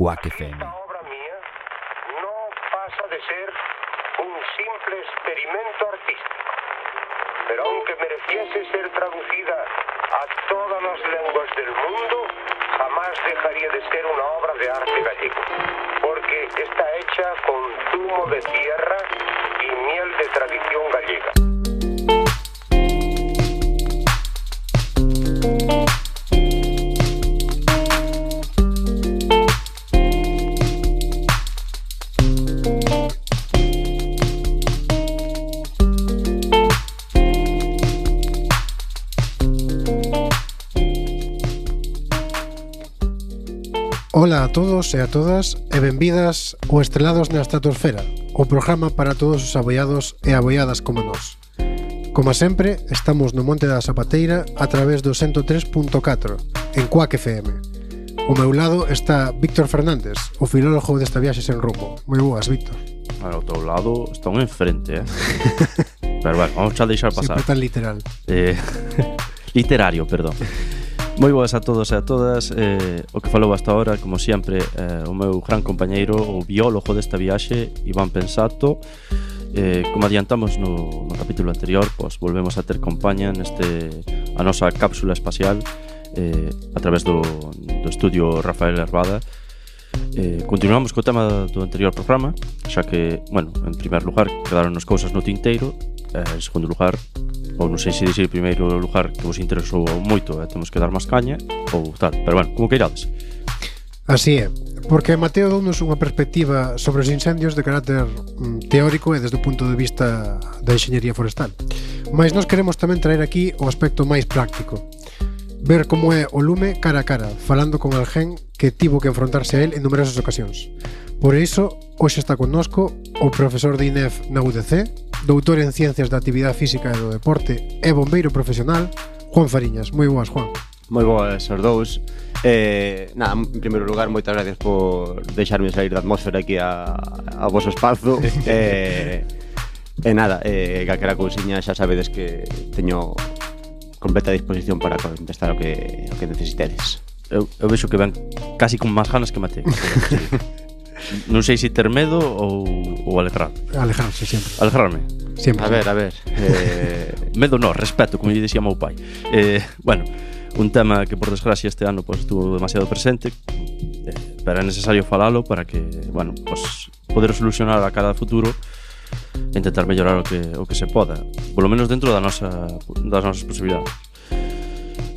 Quack FM. Esta obra mía no pasa de ser un simple experimento artístico, pero aunque mereciese ser traducida a todas las lenguas del mundo, jamás dejaría de ser una obra de arte gallego, porque está hecha con zumo de tierra y miel de tradición gallega. Ola a todos e a todas e benvidas ao Estrelados na Estratosfera, o programa para todos os aboiados e aboiadas como nós. Como sempre, estamos no Monte da Zapateira a través do 103.4 en Quack FM. Ao meu lado está Víctor Fernández, o filólogo desta viaxe sen rumbo. Moi boas, Víctor. Ao teu lado están enfrente, Pero bueno, vamos a deixar pasar. Sempre tan literal. Literario, perdón. Moi boas a todos e a todas. O que falou hasta ahora, como sempre, o meu gran compañeiro, o biólogo desta viaxe, Iván Pensato. Como adiantamos no capítulo anterior, pues volvemos a ter compañía a nosa cápsula espacial a través do estudio Rafael Herbada. Continuamos co tema do anterior programa, xa que, bueno, en primer lugar quedaron as cousas no tinteiro. En segundo lugar, ou non sei se dixer primeiro lugar que vos interesou moito e temos que dar máis caña ou tal, pero bueno, como que irades? Así é, porque Mateo dounos unha perspectiva sobre os incendios de carácter teórico e desde o punto de vista da enxeñería forestal. Mas nós queremos tamén traer aquí o aspecto máis práctico, ver como é o lume cara a cara, falando con alguén que tivo que enfrontarse a él en numerosas ocasións. Por iso, hoxe está connosco o profesor de INEF na UDC, doutor en Ciencias da Actividade Física e do Deporte e bombeiro profesional, Juan Fariñas. Moi boas, Juan. Moi boas os dous. En primeiro lugar, moitas gracias por deixarme sair da atmósfera aquí a vosso espazo. Calquera cousiña xa sabedes que teño completa disposición para contestar o que necesitedes. Eu vexo que ven casi con máis ganas que Mateo. Non sei se ter medo ou alegrar. Alegrarse sempre. Alegrarme. Sempre. A ver. Medo no, respeto, como lle dicía meu pai. Bueno, un tema que por desgracia este ano pues, estuvo demasiado presente, pero é necesario falalo para que, bueno, pues, poder solucionar a cada futuro e intentar mellorar o que se poda, polo menos dentro das nosas posibilidades.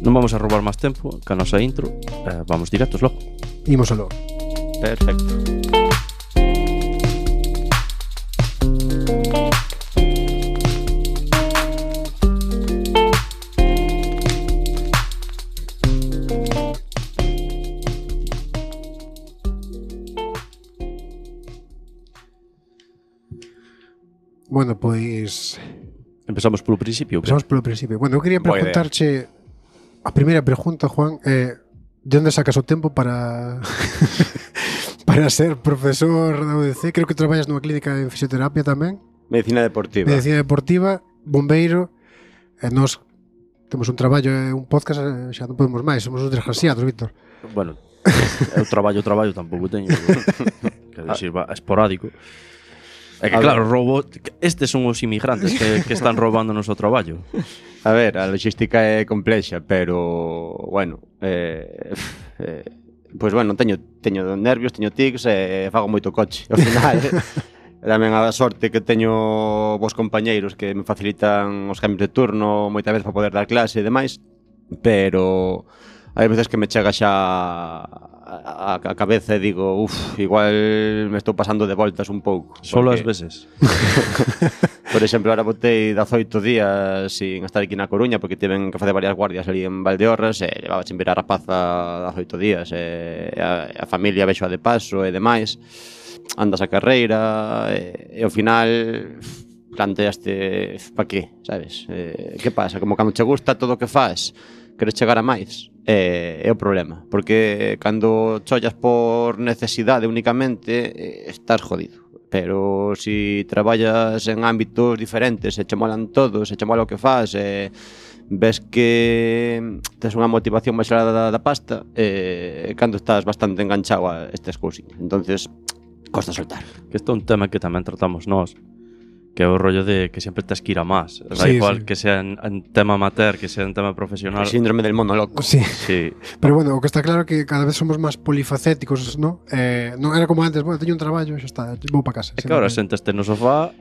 Non vamos a roubar máis tempo ca nosa intro, vamos directos logo. Imos aló. Perfecto. Bueno, pois Empezamos polo principio. Bueno, eu quería preguntarche a primeira pregunta, Juan, de onde sacas o tempo para para ser profesor da UDC? Creo que traballas nunha clínica de fisioterapia tamén. Medicina deportiva, bombeiro, e nós temos un traballo e un podcast, xa non podemos máis, somos uns desgraciados, Víctor. Bueno, eu traballo tampouco teño. Quer dicir, esporádico. É que claro, estes son os inmigrantes que están roubando o noso traballo. A ver, a logística é complexa, pero, bueno, pois, bueno, teño nervios, teño tics e fago moito coche. Ao final, tamén a sorte que teño vos compañeiros que me facilitan os cambios de turno moitas veces para poder dar clase e demais, pero hai veces que me chega xa a cabeza e digo, igual me estou pasando de voltas un pouco. Solo as veces. Por exemplo, ahora botei 18 días sin estar aquí na Coruña porque tiven que facer varias guardias ali en Valdeorras e levaba sin ver a rapaza 18 días e a familia vexoa de paso e demais. Andas a carreira e ao final planteaste pa qué, sabes? Que pasa? Como cando che gusta todo o que faz, queres chegar a máis. É o problema, porque cando chollas por necesidade únicamente estás jodido. Pero si traballas en ámbitos diferentes e che molan todos, e che mola o que faz, ves que tes unha motivación máis elevada da pasta cando estás bastante enganchado a estas cousiñas. Entonces, costa soltar. Que isto é un tema que tamén tratamos nós, que é o rollo de que sempre tes que ir a más. Da igual que sea en tema amateur, que sea en tema profesional. El síndrome del mono loco. Sí. Sí. Pero bueno, o que está claro é que cada vez somos máis polifacéticos, ¿no? Non era como antes, bueno, teño un traballo, xa está, vou para casa. É que agora sentaste no sofá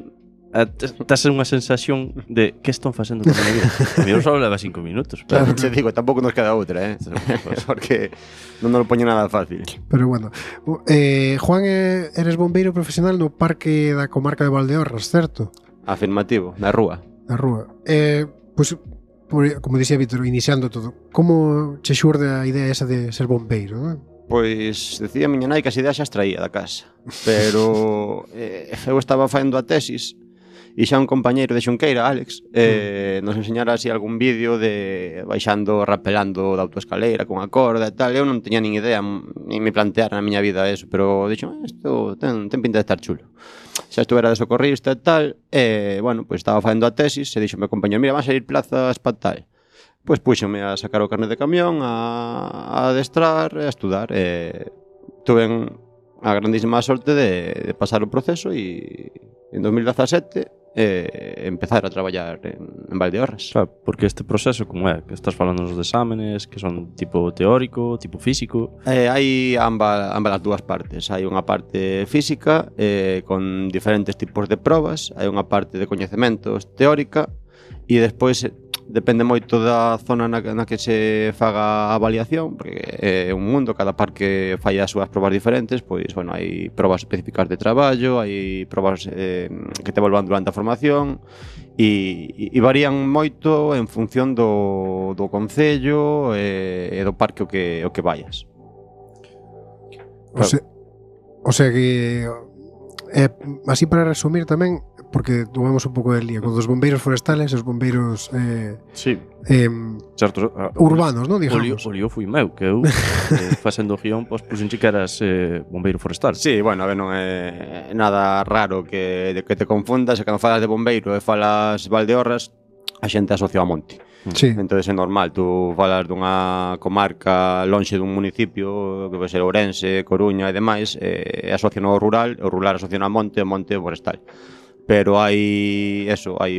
tes unha sensación de que están facendo con a vida. A mí só leva 5 minutos. Claro, te digo, tampouco nos queda outra, porque non nos lo poño nada fácil. Pero bueno, Juan, eres bombeiro profesional no parque da comarca de Valdeorras, certo? Afirmativo, na rúa. Na rúa. Pois, como dixía Víctor, iniciando todo, como che xurde a idea esa de ser bombeiro, non? Pois, decía a miña nai que as ideas xa as traía da casa. Pero eu estaba faendo a tesis e xa un compañeiro de Xunqueira, Alex, nos enseñara así algún vídeo de baixando, rapelando da autoescaleira con a corda e tal. Eu non teña nin idea, nin me planteara na miña vida eso, pero dixo, isto ten pinta de estar chulo. Xa estuvera de socorrista e tal, bueno, pois estaba facendo a tesis e dixo meu compañero, mira, van a salir plazas para tal. Pois puxome a sacar o carnet de camión, a adestrar e a estudar. Tuve a grandísima sorte de pasar o proceso e en 2017 empezar a traballar en Valdeorras. Claro, porque este proceso como é? Que estás falando dos exámenes, que son tipo teórico, tipo físico? Hai ambas as dúas partes. Hai unha parte física con diferentes tipos de probas, hai unha parte de coñecementos teórica e despois depende moito da zona na que se faga a avaliación, porque é un mundo, cada parque fai as súas probas diferentes, pois, bueno, hai probas específicas de traballo, hai probas que te volvan durante a formación e varían moito en función do concello e do parque o que vayas. O sea que así para resumir tamén, porque tomamos un pouco de lío con os bombeiros forestales e os bombeiros sí. Certo, urbanos, non, digamos. O lío foi meu, que eu facendo o guión, pois puxenche que eras bombeiro forestal. Sí, bueno, a ver, non é nada raro que te confundas, e cando falas de bombeiro e falas Valdeorras, a xente asocia ao monte. Sí. Entonces é normal, tú falas dunha comarca lonxe dun municipio, que vai ser Ourense, Coruña e demais, e asocian ao rural, o rural asocian ao monte, o monte ao forestal. Pero hai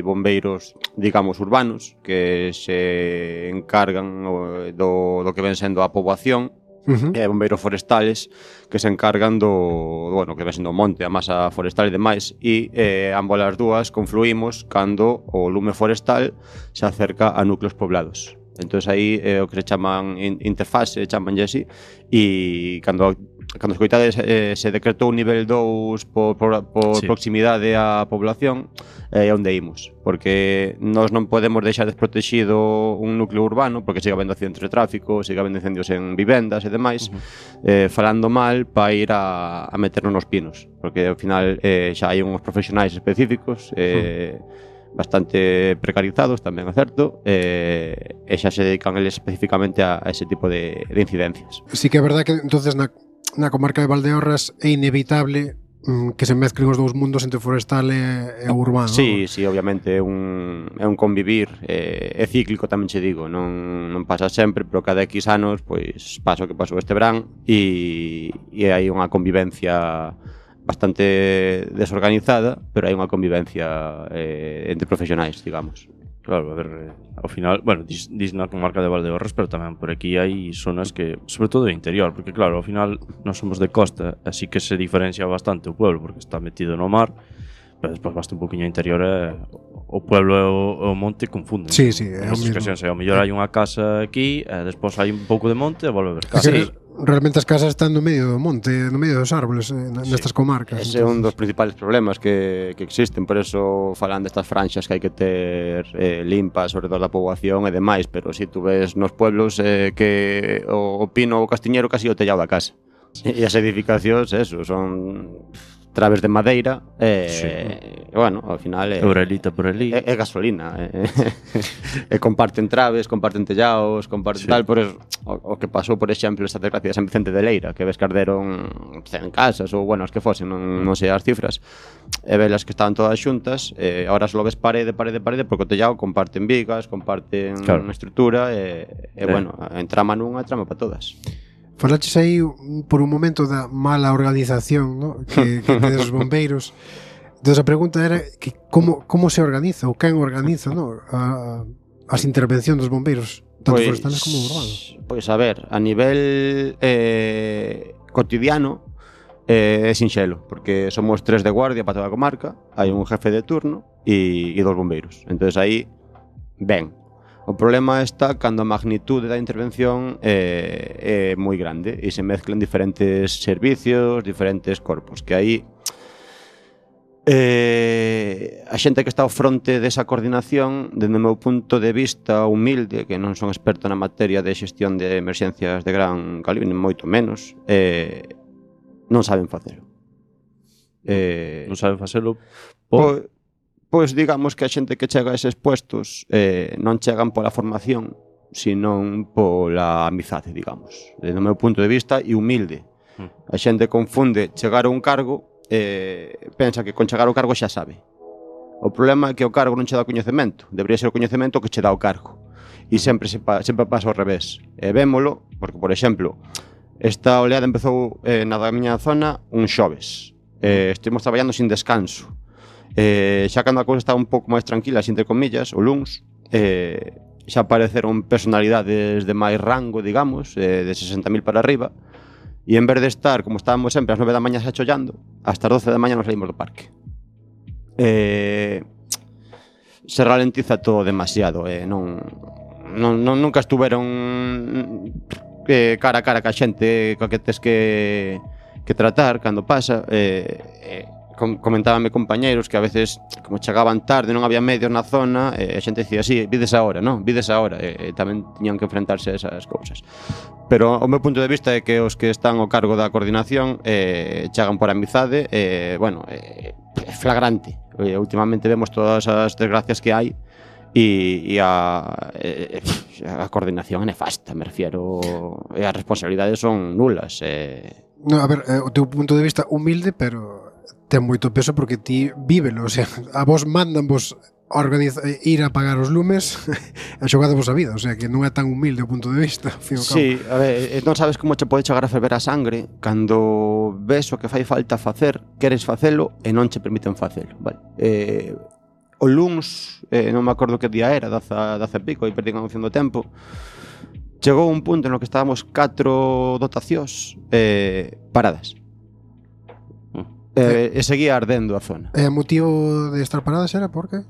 bombeiros, digamos, urbanos que se encargan do que ven sendo a poboación, e hai bombeiros forestales que se encargan do que ven sendo o monte, a masa forestal e demais, e ambas as dúas confluímos cando o lume forestal se acerca a núcleos poblados. Entón aí é o que se chaman interfase, chamanlle así, e cando escoitades se decretou un nivel 2 por sí, proximidade á población, é onde imos, porque nós non podemos deixar desprotegido un núcleo urbano, porque siga habendo accidentes de tráfico, siga habendo incendios en vivendas e demais, falando mal para ir a meternos nos pinos, porque ao final xa hai uns profesionais específicos, bastante precarizados, tamén é certo, e xa se dedican eles especificamente a ese tipo de incidencias. Sí que é verdad que entonces na comarca de Valdeorras é inevitable que se mezclen os dous mundos entre forestal e urbano. Sí, sí, obviamente é un convivir, é cíclico tamén che digo, non pasa sempre, pero cada X anos pois pasa o que pasou este verán e hai unha convivencia bastante desorganizada, pero hai unha convivencia entre profesionais, digamos. Claro, a ver, ao final, bueno, dis na comarca de Valdeorras, pero tamén por aquí hai zonas que, sobre todo de interior, porque claro, ao final non somos de costa, así que se diferencia bastante o pueblo, porque está metido no mar, pero despois basta un poquinho interior e o pueblo e o monte confunden. Sí, sí, é o mesmo. Ao mellor hai unha casa aquí, e despois hai un pouco de monte e volve a ver casa. Sí. Realmente as casas están no medio do monte, no medio dos árboles, nestas comarcas. Ese é un dos principales problemas que existen, por eso falan destas franxas que hai que ter limpas sobre toda a poboación e demais, pero si tú ves nos pueblos que o pino ou o castiñeiro casi o tellado da casa. E as edificacións, eso, son traves de madeira Sí. bueno, ao final Eurelita por ali. é gasolina e comparten traves, comparten tellaos, comparten Sí. tal, por eso, o que pasou, por exemplo, esta desgracia de San Vicente de Leira, que ves que arderon 100 casas ou, bueno, as que fosen, non sei as cifras, e velas que estaban todas xuntas, ahora só ves parede, porque o tellao comparten vigas, comparten Claro. estrutura bueno, entrama nunha, trama para todas. Falaches aí por un momento da mala organización, ¿no? que tedes os bombeiros. Entón a pregunta era que como se organiza ou quen organiza, ¿no? As intervencións dos bombeiros, tanto forestales como urbanos. Pois a ver, a nivel cotidiano é sinxelo, porque somos 3 de guardia para toda a comarca, hai un jefe de turno e 2 bombeiros. Entonces aí, ben. O problema está cando a magnitude da intervención é moi grande e se mezclan diferentes servicios, diferentes corpos, que aí a xente que está ao fronte desa coordinación, dende o meu punto de vista humilde, que non son experto na materia de xestión de emerxencias de gran calibre, nin moito menos, non saben facelo. Non saben facelo Pois digamos que a xente que chega a eses puestos non chegan pola formación, senón pola amizade, digamos. Desde o meu punto de vista, e humilde. A xente confunde chegar a un cargo, pensa que con chegar ao cargo xa sabe. O problema é que o cargo non che dá coñecemento. Debería ser o coñecemento que che dá o cargo. E sempre pasa ao revés. E vémolo, porque, por exemplo, esta oleada empezou na da miña zona un xoves. Estivemos traballando sin descanso. Xa cando a cousa estaba un pouco máis tranquila, entre comillas, o luns, xa apareceron personalidades de máis rango, digamos, de 60.000 para arriba, e en vez de estar, como estábamos sempre, ás 9 da mañá xa chollando, hasta as 12 da mañá nos saímos do parque. Se ralentiza todo demasiado, nunca estuveron cara a cara ca xente coa que tes que tratar cando pasa. Comentábame compañeiros que a veces, como chegaban tarde, non había medios na zona, a xente dicía, sí, vides agora, non? Vides agora, tamén tiñan que enfrentarse a esas cousas. Pero o meu punto de vista é que os que están ao cargo da coordinación chegan por amizade, bueno, é flagrante. Últimamente vemos todas as desgracias que hai e a coordinación é nefasta, me refiero, e as responsabilidades son nulas. No, a ver, o teu punto de vista humilde, pero ten moito peso porque ti vívelo, o sea, a vos mandan vos ir a apagar os lumes e xogadevos a vida, o sea, que non é tan humilde o punto de vista, ao fin e ao cabo. Sí, a ver, non sabes como che pode chegar a ferver a sangre cando ves o que fai falta facer, queres facelo e non che permiten facelo, vale? O luns, non me acordo que día era, daza pico, aí perdí a noción do tempo, chegou un punto no que estábamos 4 dotacións paradas. E seguía ardendo a zona. E o motivo de estar paradas era por que?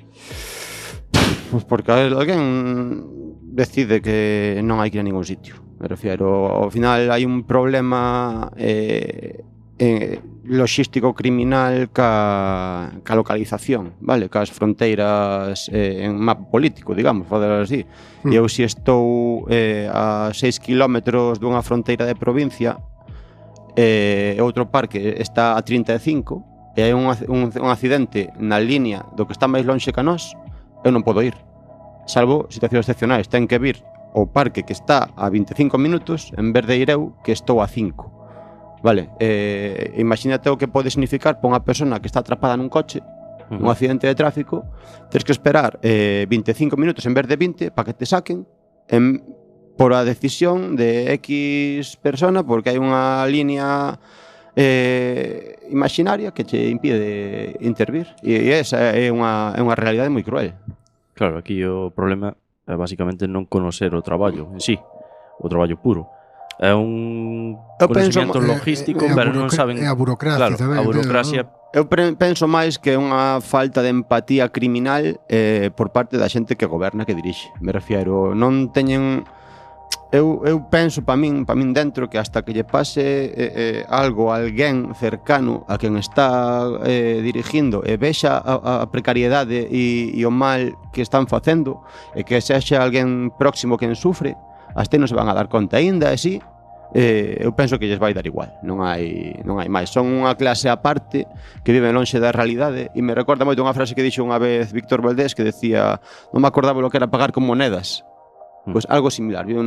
Pois porque alguén decide que non hai que ir a ningún sitio. Me refiero, ao final hai un problema logístico criminal ca localización, vale? Cas fronteiras en mapa político, digamos, falar así. E eu se estou a 6 kilómetros dunha fronteira de provincia, outro parque está a 35 e hai un accidente na línea do que está máis lonxe que a nós, eu non podo ir, salvo situacións excepcionais. Ten que vir o parque que está a 25 minutos en vez de ir eu que estou a 5, vale? Imagínate o que pode significar para unha persona que está atrapada nun coche, un accidente de tráfico, tens que esperar 25 minutos en vez de 20 para que te saquen por a decisión de X persona, porque hai unha línea imaginaria que che impide intervir, e esa é unha realidade moi cruel. Claro, aquí o problema é basicamente non conocer o traballo en sí, o traballo puro. É un conocimiento logístico, pero non saben... É a burocracia, claro, tamén. A burocracia... Eu penso máis que é unha falta de empatía criminal por parte da xente que goberna, que dirixe. Me refiero, non teñen... Eu penso para min dentro que hasta que lle pase algo a alguén cercano a quen está dirigindo e vexa a precariedade e o mal que están facendo, e que sexa alguén próximo quen sufre, hasta non se van a dar conta. Ainda así, eu penso que lles vai dar igual, non hai máis. Son unha clase aparte que vive lonxe da realidade e me recorda moito unha frase que dixo unha vez Víctor Valdés que decía, non me acordaba lo que era pagar con monedas. Pois algo similar, viven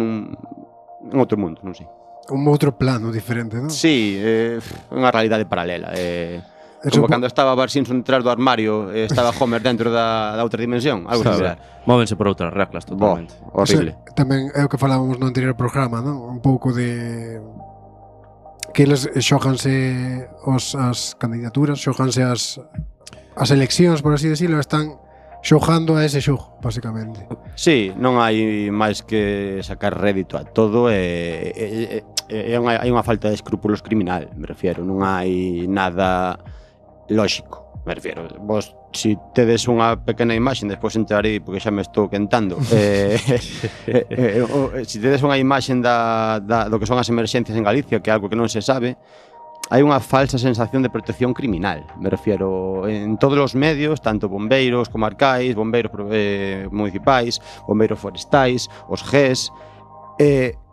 en outro mundo, non sei. Un outro plano diferente, non? Sí, unha realidade paralela. Como cando estaba Bart Simpson detrás do armario, estaba Homer dentro da outra dimensión, algo similar. Móvense por outras reglas totalmente. Horrible. Tamén é o que falábamos no anterior programa, non? Un pouco de que eles xóganse as candidaturas, xóganse as eleccións, por así decirlo, están xogando a ese xogo, basicamente. Sí, non hai máis que sacar rédito a todo hai unha falta de escrúpulos criminal, me refiero, non hai nada lógico, me refiero. Vos, si tedes unha pequena imaxe, despois entrarei porque xa me estou quentando. Si tedes unha imaxe do que son as emerxencias en Galicia, que é algo que non se sabe, hai unha falsa sensación de protección criminal, me refiero, en todos os medios, tanto bombeiros comarcais, bombeiros municipais, bombeiros forestais, os GES,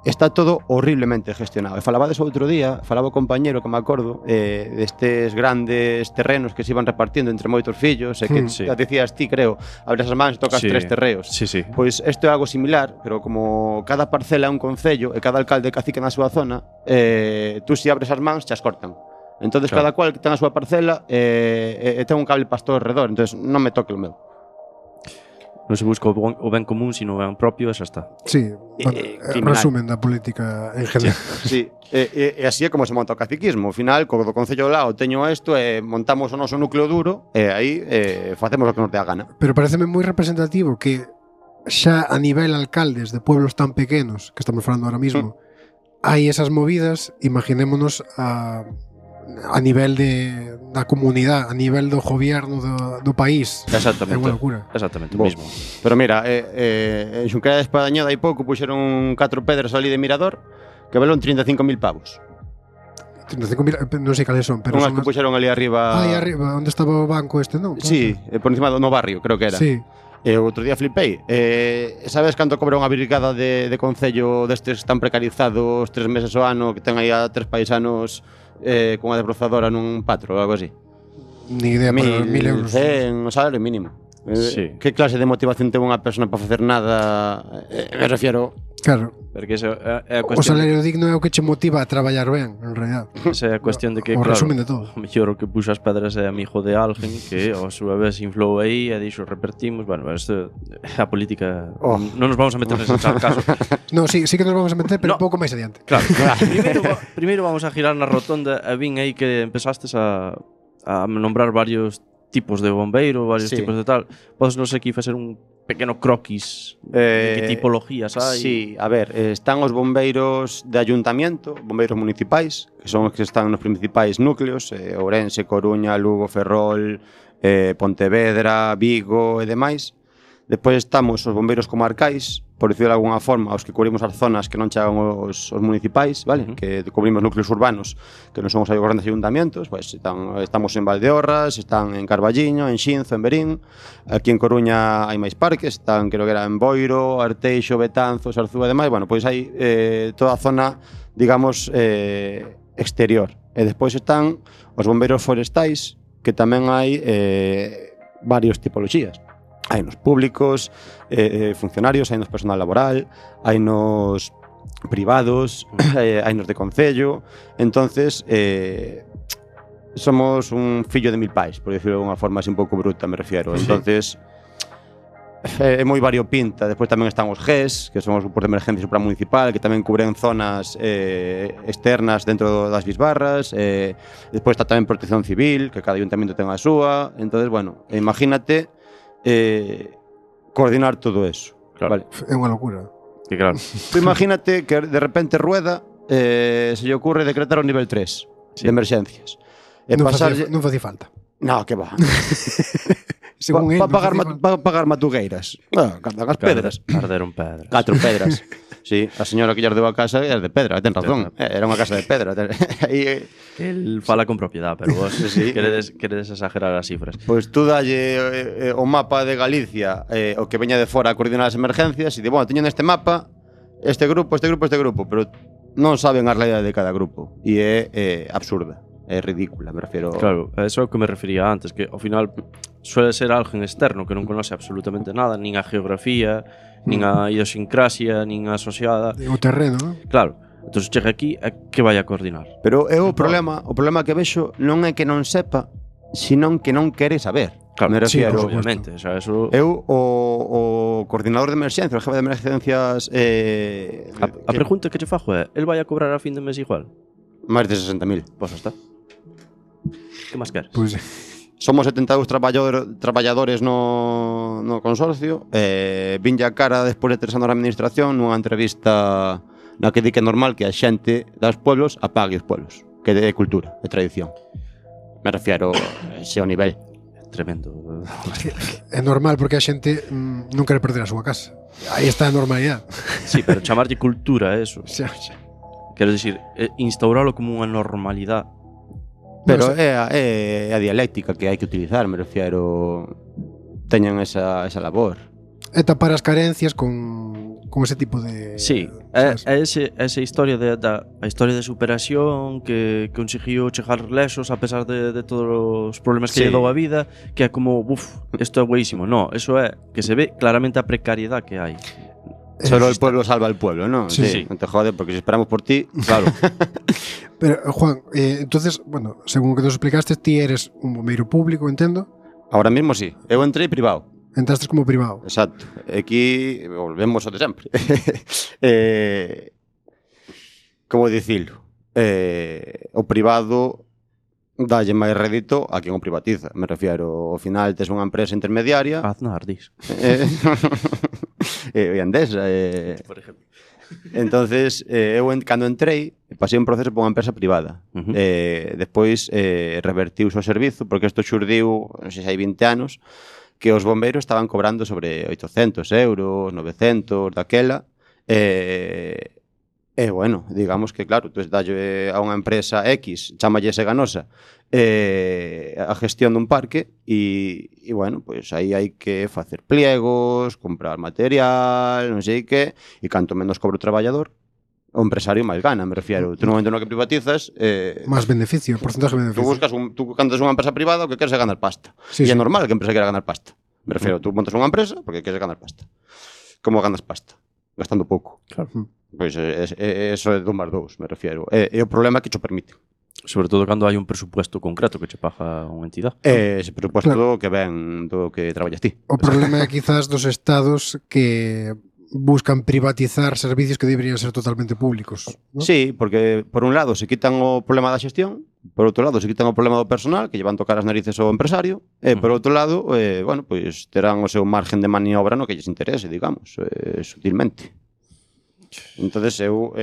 está todo horriblemente gestionado. E falabades outro día, falaba o compañero que me acordo destes grandes terrenos que se iban repartindo entre moitos fillos e que decías ti, creo, abres as mans e tocas 3 terreos. Pois isto é algo similar, pero como cada parcela é un concello e cada alcalde cacique na súa zona, tú se abres as mans, chas cortan. Entonces cada cual ten a súa parcela e ten un cable pastor alrededor, entonces non me toque o meu. Non se busca o ben común, sino o ben propio, e xa está. Sí, resumen da política en general. Sí, e así é como se monta o caciquismo. Ao final, co do Concello do lado teño isto e montamos o noso núcleo duro e aí facemos o que nos dé a gana. Pero pareceme moi representativo que xa a nivel alcaldes de pueblos tan pequenos, que estamos falando ahora mismo, hai esas movidas, imaginémonos a nivel da comunidade, a nivel do gobierno do país. Exactamente. É unha locura. Exactamente, mismo. Pero mira, en Xunquera de Espadaña dai pouco puxeron 4 pedras ali de mirador que valon 35.000 pavos. 35.000, non sei cales son, pero unhas que puxeron ali arriba. Aí arriba, onde estaba o banco este, non? Sí, por encima do no barrio, creo que era. Sí. E outro día flipei. Sabes canto cobra unha brigada de concello destes tan precarizados 3 meses ao ano que ten aí a 3 paisanos con unha desbrozadora nun patro ou algo así? Ni idea, pero 1.000 euros. O salario mínimo. Sí. Que clase de motivación ten unha persona para facer nada? Me refiero... Claro. Porque esa é a O cuestión. salario digno é o que che motiva a traballar ben, en realidad. Esa é a cuestión de que, o claro, resumen de todo. o mellor o que puxo as pedras é amigo de alguén que a súa vez inflou aí e dixo repertimos. Bueno, isto é a política. Non nos vamos a meter nese caso. No, sí que nos vamos a meter, pero un pouco máis adiante. Claro. Primeiro vamos a girar na rotonda e vin aí que empezastes a nombrar varios tipos de bombeiro, varios tipos de tal. Podes nos aquí facer un pequeno croquis de que tipologías hai? Sí, a ver, están os bombeiros de ayuntamiento, bombeiros municipais, que son os que están nos principais núcleos, Ourense, Coruña, Lugo, Ferrol, Pontevedra, Vigo e demais. Despois estamos os bombeiros comarcais, por dicirlo de alguna forma, os que cubrimos as zonas que non chegan os municipais, vale? Que cubrimos núcleos urbanos que non son os grandes ayuntamentos, pues estamos en Valdeorras, están en Carballiño, en Xinzo, en Verín. Aquí en Coruña hai máis parques, están, creo que era en Boiro, Arteixo, Betanzos, Arzúa e demais. Bueno, pois hai toda a zona, digamos, exterior. E despois están os bombeiros forestais, que tamén hai varios tipoloxías. Hai nos públicos, funcionarios, hai nos personal laboral, hai nos privados, hai nos de concello. Entonces, somos un fillo de 1000 pais, por decirlo de unha forma así un pouco bruta, me refiero. Entonces, é moi variopinta. Despois tamén están os GES, que son os grupos de emergencia supramunicipal, que tamén cubren zonas externas dentro das bisbarras. Despois está tamén Protección Civil, que cada ayuntamiento ten a súa. Entonces, bueno, imagínate coordinar todo eso. Claro. Vale. É unha locura. Que claro. Tú imagínate que de repente Rueda se lle ocurre decretar o nivel 3 de emerxencias. Non facía falta. No, que va. Para pagar matugueiras. Cardan as pedras. Arderon pedras. 4 pedras. Sí, a señora que lles deu a casa é de pedra, ten razón. Era unha casa de pedra. El fala con propiedad, pero vos queredes exagerar as cifras. Pois tú dalle o mapa de Galicia, o que veña de fora a coordinar as emergencias, e di, bueno, teño neste mapa este grupo, pero non saben a realidade de cada grupo e é absurda, é ridícula, me refiro. Claro, eso é o que me refería antes, que ao final suele ser alguén externo que non conoce absolutamente nada, nin a geografía, nin a idiosincrasia, nin a asociada. O terreno, non? Claro, entón chega aquí e que vai a coordinar. Pero o problema que vexo non é que non sepa, senón que non quere saber. Claro, me sí, refiero. obviamente, o sea, eso... Eu, o coordinador de emerxencias, o jefe de emerxencias A pregunta que che fajo é, el vai a cobrar a fin de mes igual? máis de 60.000. Pois está. Que máis queres? Pois Somos 72 traballadores no consorcio. Vinlle a cara despois de 3 anos na administración nunha entrevista na que di que é normal que a xente dos pueblos apague os pueblos, que é cultura, é tradición. Me refiero a ese o nivel. Tremendo. é normal porque a xente non quere perder a súa casa. Aí está a normalidade. Sí, pero chamarlle cultura eso. Xa, xa. Quero dicir, instauralo como unha normalidade. Pero é a dialéctica que hai que utilizar, me refiero. Teñen esa labor. É tapar as carencias con ese tipo de... Sí, é esa historia a historia de superación que conseguiu chegar lesos a pesar de todos os problemas que lle dou a vida, que é como, isto é buenísimo. No, eso é que se ve claramente a precariedade que hai. Solo el pueblo salva al pueblo, ¿no? Sí. No te jode, porque si esperamos por ti, claro. Pero, Juan, entonces, bueno, según o que nos explicaste, ti eres un bombeiro público, entendo? Ahora mismo sí. Eu entrei privado. Entraste como privado. Exacto. Aquí volvemos ao de sempre. Como dicilo? O privado dalle máis rédito a quen o privatiza. Me refiero, ao final tes unha empresa intermediaria. Aznar, dis. E Endesa. Por exemplo. Entonces, eu cando entrei, pasei un proceso por unha empresa privada. Despois revertiuse o servizo, porque isto xurdiu, non sei se hai 20 anos, que os bombeiros estaban cobrando sobre 800 euros, 900, daquela. Bueno, digamos que, claro, tú dalle a unha empresa X, chámalle Seganosa, a gestión dun parque e bueno, pois aí hai que facer pliegos, comprar material, non sei que, e canto menos cobra o traballador, o empresario máis gana, me refiero. Tú no momento no que privatizas, Máis beneficio, porcentaje de beneficio. tú cando tes unha empresa privada, o que queres é ganar pasta. Sí, E é sí. normal que a empresa quera ganar pasta. Me refiero, tú montas unha empresa porque queres ganar pasta. Como ganas pasta? Gastando pouco. Claro. Pois eso é do máis dous, me refiero. E o problema é que cho permite. Sobre todo cando hai un presupuesto concreto que che paga unha entidade. Ese presupuesto que ven do que traballas ti. O problema é quizás dos estados que buscan privatizar servicios que deberían ser totalmente públicos, ¿no? Sí, porque por un lado se quitan o problema da xestión, por outro lado se quitan o problema do personal, que llevan tocar as narices ao empresario, e por outro lado, bueno, pois terán o seu margen de maniobra no que lles interese, digamos, sutilmente. Entonces eu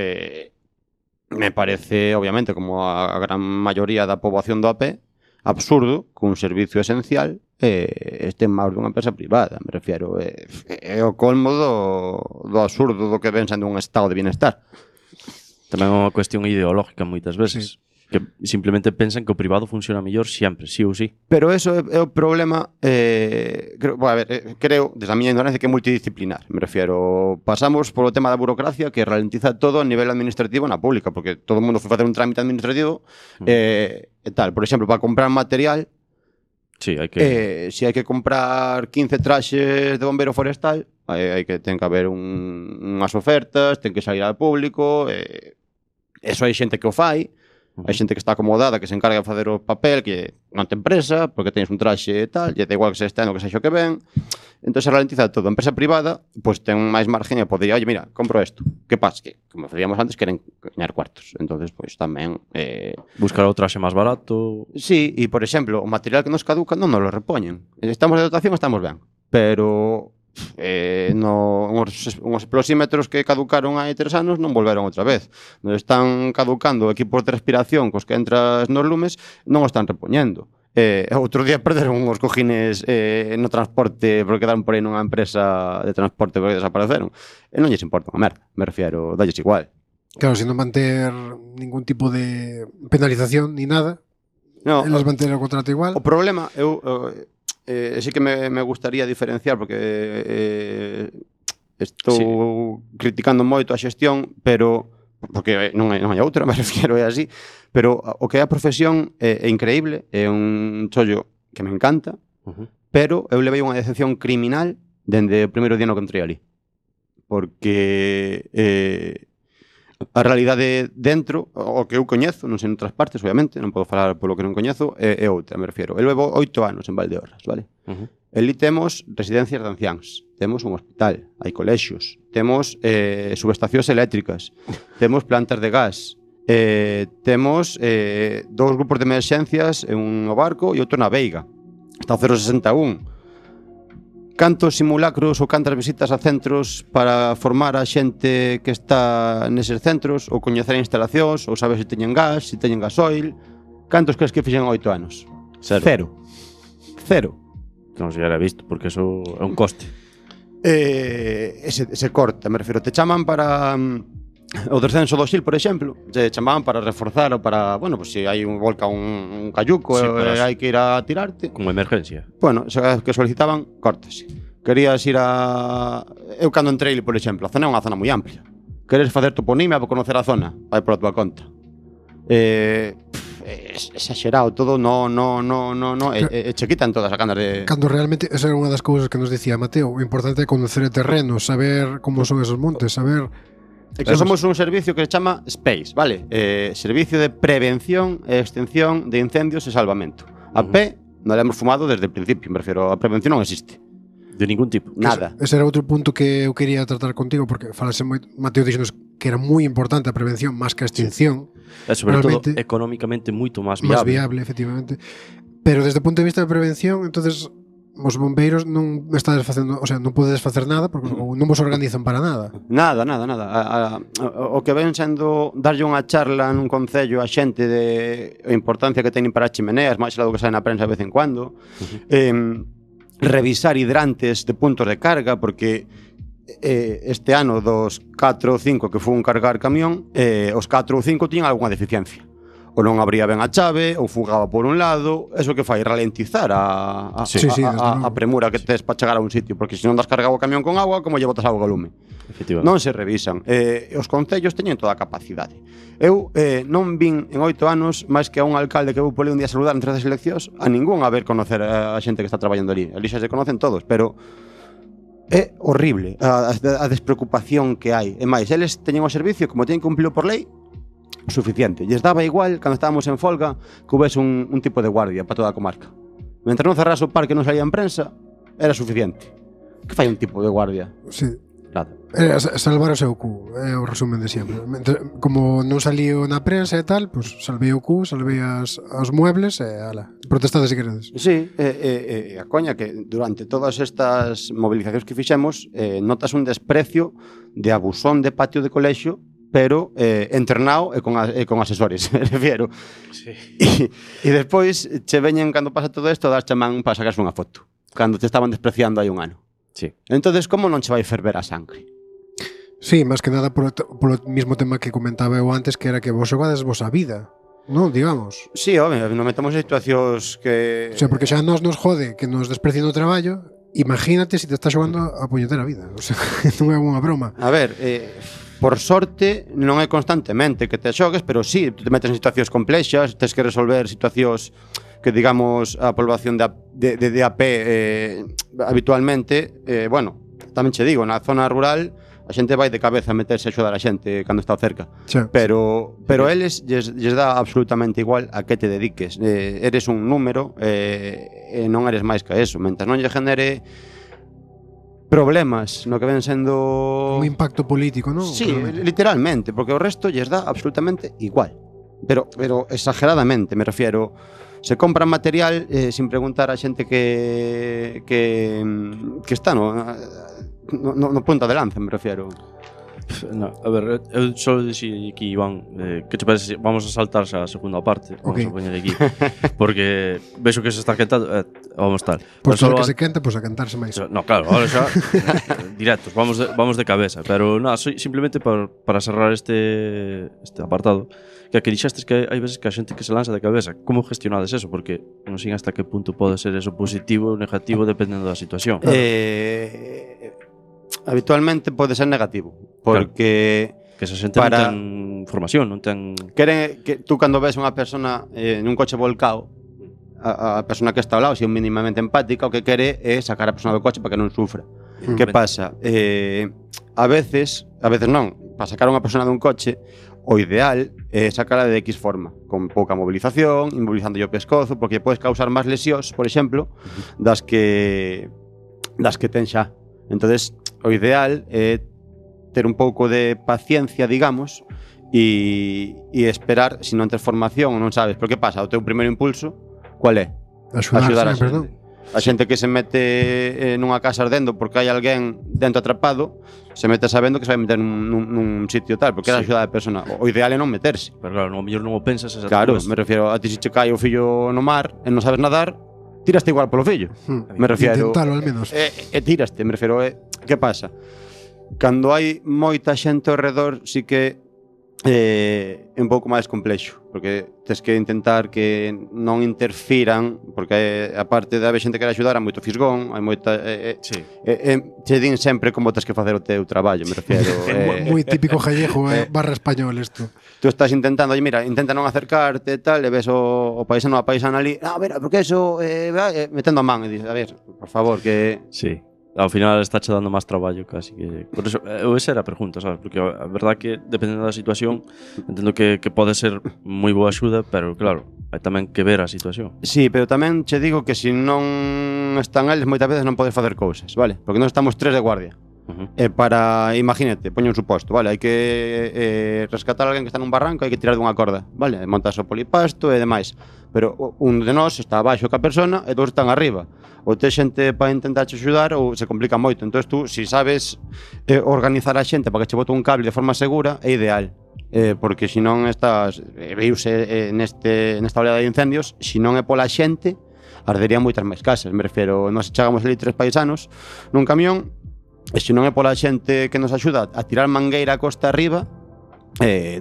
me parece, obviamente, como a gran maioría da poboación do AP, absurdo que un servicio esencial este en máis dunha empresa privada, me refiero, é o colmo do absurdo do que ven sendo un estado de bienestar. Tamén é unha cuestión ideológica moitas veces, que simplemente pensan que o privado funciona mellor sempre, sí ou sí. Pero eso é o problema, creo, desde a miña ignorancia, que é multidisciplinar, me refiero. Pasamos polo tema da burocracia, que ralentiza todo a nivel administrativo na pública, porque todo o mundo foi facer un trámite administrativo e tal. Por exemplo, para comprar material, sí, hai que... se hai que comprar 15 traxes de bombero forestal, ten que haber unhas ofertas, ten que sair ao público, eso hai xente que o fai. Hai xente que está acomodada, que se encarga de facer o papel, que non ten presa, porque tenes un traxe e tal, e da igual que se estén o que sexa o que ven. Entón se ralentiza todo. A empresa privada, pois ten máis margen e podería, oye, mira, compro isto. Que pasa? Que, como facíamos antes, queren gañar cuartos. Entón, pois tamén... buscar o traxe máis barato... Sí, e, por exemplo, o material que nos caduca non nos lo repoñen. Estamos de dotación, estamos ben. Pero... uns explosímetros que caducaron hai 3 anos non volveron outra vez. Nos están caducando equipos de respiración cos que entras nos lumes, non o están repoñendo. Outro día perderon uns cojines no transporte porque quedaron por aí nunha empresa de transporte porque desapareceron. E non lles importa unha merda, me refiero, dalles igual. Claro, sin non manter ningún tipo de penalización ni nada, No, elas manter o contrato igual. O problema, sí que me gustaría diferenciar porque estou criticando moito a xestión, pero porque non hai outra, me refiero, é así, pero o que é a profesión é increíble, é un chollo que me encanta, pero eu levei unha decepción criminal dende o primeiro día no que entrei ali. Porque a realidade dentro, o que eu coñezo, non sei en outras partes, obviamente, non podo falar polo que non coñezo, é outra, me refiero. Eu levo 8 anos en Valdeorras, vale? Eli temos residencias de anciáns, temos un hospital, hai colexios, temos subestacións eléctricas, temos plantas de gas, temos 2 grupos de emerxencias, un no barco e outro na Veiga. Está o 061. Cantos simulacros ou cantas visitas a centros para formar a xente que está neses centros, ou coñecer instalacións, ou saber se teñen gas, se teñen gasoil. Cantos crees que fixen 8 anos? Cero. Non se era visto, porque eso é un coste. Se corta, me refiro. Te chaman para o descenso do Sil, por exemplo. Te chamaban para reforzar ou para, bueno, pues se hai un volca un cayuco hai que ir a tirarte. Como emergencia. Bueno, que solicitaban, cortase. Querías ir a... Eu cando entrei, por exemplo, a zona é unha zona moi amplia. Queres facer toponimia para conocer a zona? Vai por a tua conta. Exagerado todo, no che quitan todas as ganas de... Cando realmente esa era unha das cousas que nos dicía Mateo, o importante é conocer o terreno, saber como son esos montes, saber... É que somos un servicio que se chama SPACE, vale? Servicio de Prevención e Extinción de Incendios e Salvamento. A P non la hemos fumado desde o principio, me refiero, a prevención non existe. De ningún tipo. Nada. Ese era outro punto que eu quería tratar contigo, porque falase moi, Mateo dixonos que era moi importante a prevención máis que a extinción. É sobre todo económicamente moito máis viable. Máis viable, efectivamente. Pero desde o punto de vista de prevención, entonces os bombeiros non estades facendo, o sea, non podedes facer nada porque non vos organizan para nada. Nada. O que ven sendo darlle unha charla nun concello a xente de a importancia que teñen para as chimeneas, máis algo que sae na prensa de vez en cuando. Revisar hidrantes de puntos de carga, porque este ano dos 4 ou 5 que foi un cargar camión, os 4 ou 5 tiñan algunha deficiencia. Ou non abría ben a chave, ou fugaba por un lado. Eso que fai ralentizar a premura que tes para chegar a un sitio, porque se non das cargado o camión con agua, como lle botas agua ao lume? Non se revisan. Os concellos teñen toda a capacidade. Eu non vin en 8 anos máis que a un alcalde que vou por ali un día a saludar entre as eleccións, a ningún a ver conocer a xente que está traballando ali. Ali xa se conocen todos, pero é horrible a despreocupación que hai. E máis, eles teñen o servicio, como teñen cumplido por lei, suficiente. Lles daba igual, cando estábamos en folga, que houvese un tipo de guardia para toda a comarca. Mentre non cerrase o parque e non salía en prensa, era suficiente. Que fai un tipo de guardia? Sí. Nada. Salvar o seu cu, é o resumen de sempre. Como non saliu na prensa e tal, pues salvei o cu, salvei os muebles e ala, protestade se queredes. Sí, a coña que durante todas estas movilizacións que fixemos notas un desprecio de abusón de patio de colexio, pero entrenado e con asesores, me refiero. Sí. E despois che veñen, cando pasa todo isto, das chamán para sacarse unha foto, cando te estaban despreciando hai un ano. Sí. Entonces, como non che vai ferver a sangre? Sí, máis que nada polo mismo tema que comentaba eu antes, que era que vos xogades vos a vida, non, digamos. Sí, home, non metemos en situacións que... O sea, porque xa nos jode que nos desprecien o traballo, imagínate se te está xogando a puñetera vida. O sea, non é unha broma. A ver, por sorte, non é constantemente que te xogues, pero sí, te metes en situacións complexas, tens que resolver situacións que, digamos, a población de AP habitualmente, bueno, tamén che digo, na zona rural a xente vai de cabeza a meterse a axudar a xente cando está cerca. Sí. Pero eles lles dá absolutamente igual a que te dediques. Eres un número e non eres máis que eso. Mentre non lle genere problemas no que ven sendo un impacto político, non? Sí, literalmente, porque o resto lles dá absolutamente igual. Pero exageradamente, me refiero. Se compran material sin preguntar a xente que está no punta de lanza, me refiero. No, a ver, eu só dixi aquí, Iván, que che parece, vamos a saltar xa a segunda parte, vamos a poñer aquí, porque vexo que se está quentando, vamos tal. Pois que se quenta, pois a cantarse máis. No, claro, ahora xa directos, vamos de cabeza, pero nada, simplemente para cerrar este apartado, que dixestes que hai veces que a xente que se lanza de cabeza, como gestionades eso? Porque non sei hasta que punto pode ser eso positivo ou negativo dependendo da situación. Habitualmente pode ser negativo, porque Que esa xente Para- non ten formación, non ten... Queren que tú cando ves unha persona nun coche volcado, a persona que está ao lado, se é minimamente empática, o que quere é sacar a persona do coche para que non sufra. Que pasa? A veces non, para sacar unha persona dun coche, o ideal é sacarla de X forma, con pouca movilización, inmovilizando o pescozo, porque podes causar máis lesións, por exemplo, das que ten xa. Entonces, o ideal é ter un pouco de paciencia, digamos, e esperar, se non tes formación ou non sabes. Pero que pasa? O teu primeiro impulso, cual é? Axudar a sempre, xente. non? A xente que se mete nunha casa ardendo porque hai alguén dentro atrapado, se mete sabendo que se vai meter nun sitio tal, porque é Sí. axudar a persona. O ideal é non meterse. Pero claro, no mellor non o pensas esa Claro, me refiero a ti se che cae o fillo no mar e non sabes nadar, tiraste igual polo fillo. Me refiero Intentalo, al menos. tiraste, me refiero que pasa? Cando hai moita xente ao redor, sí que é un pouco máis complexo, porque tes que intentar que non interfiran, porque a parte de haber xente que quere axudar, hai moito fisgón, hai moita Sí. che din sempre como tens que facer o teu traballo, me refiero. Moi típico gallego, barra español isto. Tú estás intentando, oye, mira, intenta non acercarte e tal, e ves o paisano a paisana ali, a ver, porque eso metendo a man, e dices, a ver, por favor, que Sí. Ao final está che dando máis traballo casi que... Por eso, esa era a pregunta, sabes? Porque a verdad que, dependendo da situación, entendo que pode ser moi boa axuda, pero claro, hai tamén que ver a situación. sí, pero tamén che digo que se non están eles moitas veces non podes facer cousas, vale? Porque non estamos 3 de guardia. Para, imagínate, poño un suposto, vale? Hai que rescatar a alguén que está nun barranco, hai que tirar dunha corda, vale? Montas o polipasto e demais. Pero un de nós está abaixo ca persona e dous están arriba. Ou tes xente para intentar te axudar ou se complica moito. Entón tú, se sabes organizar a xente para que che bote un cable de forma segura, é ideal. Porque se non estás viuse nesta oleada de incendios, se non é pola xente, arderían moitas máis casas. Me refiero, nós chegamos ali 3 paisanos nun camión, e se non é pola xente que nos axuda a tirar mangueira a costa arriba,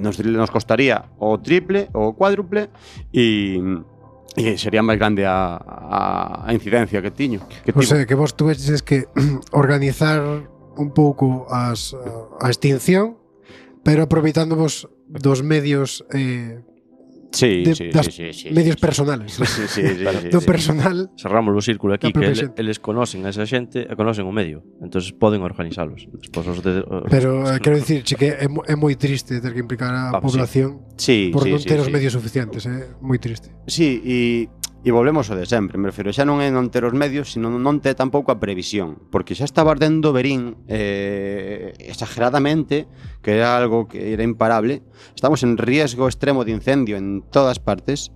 nos costaría o triple ou o cuádruple e sería máis grande a incidencia que tiño. O sea, que vos tuveches que organizar un pouco a extinción, pero aproveitándovos dos medios Sí, das medios personales. Sí, Do personal. Cerramos o círculo aquí, Da que propia xente. eles conocen a esa xente e conocen o medio. Entonces poden organizalos. Despois Pero quero dicir que é moi triste ter que implicar a población Sí, por non ter os sí. medios suficientes, é moi triste. Sí, e volvemos ao de sempre, me refiro, xa non é non ter os medios, sino non ter tampouco a previsión, porque xa estaba ardendo Verín exageradamente, que era algo que era imparable. Estamos en riesgo extremo de incendio en todas partes,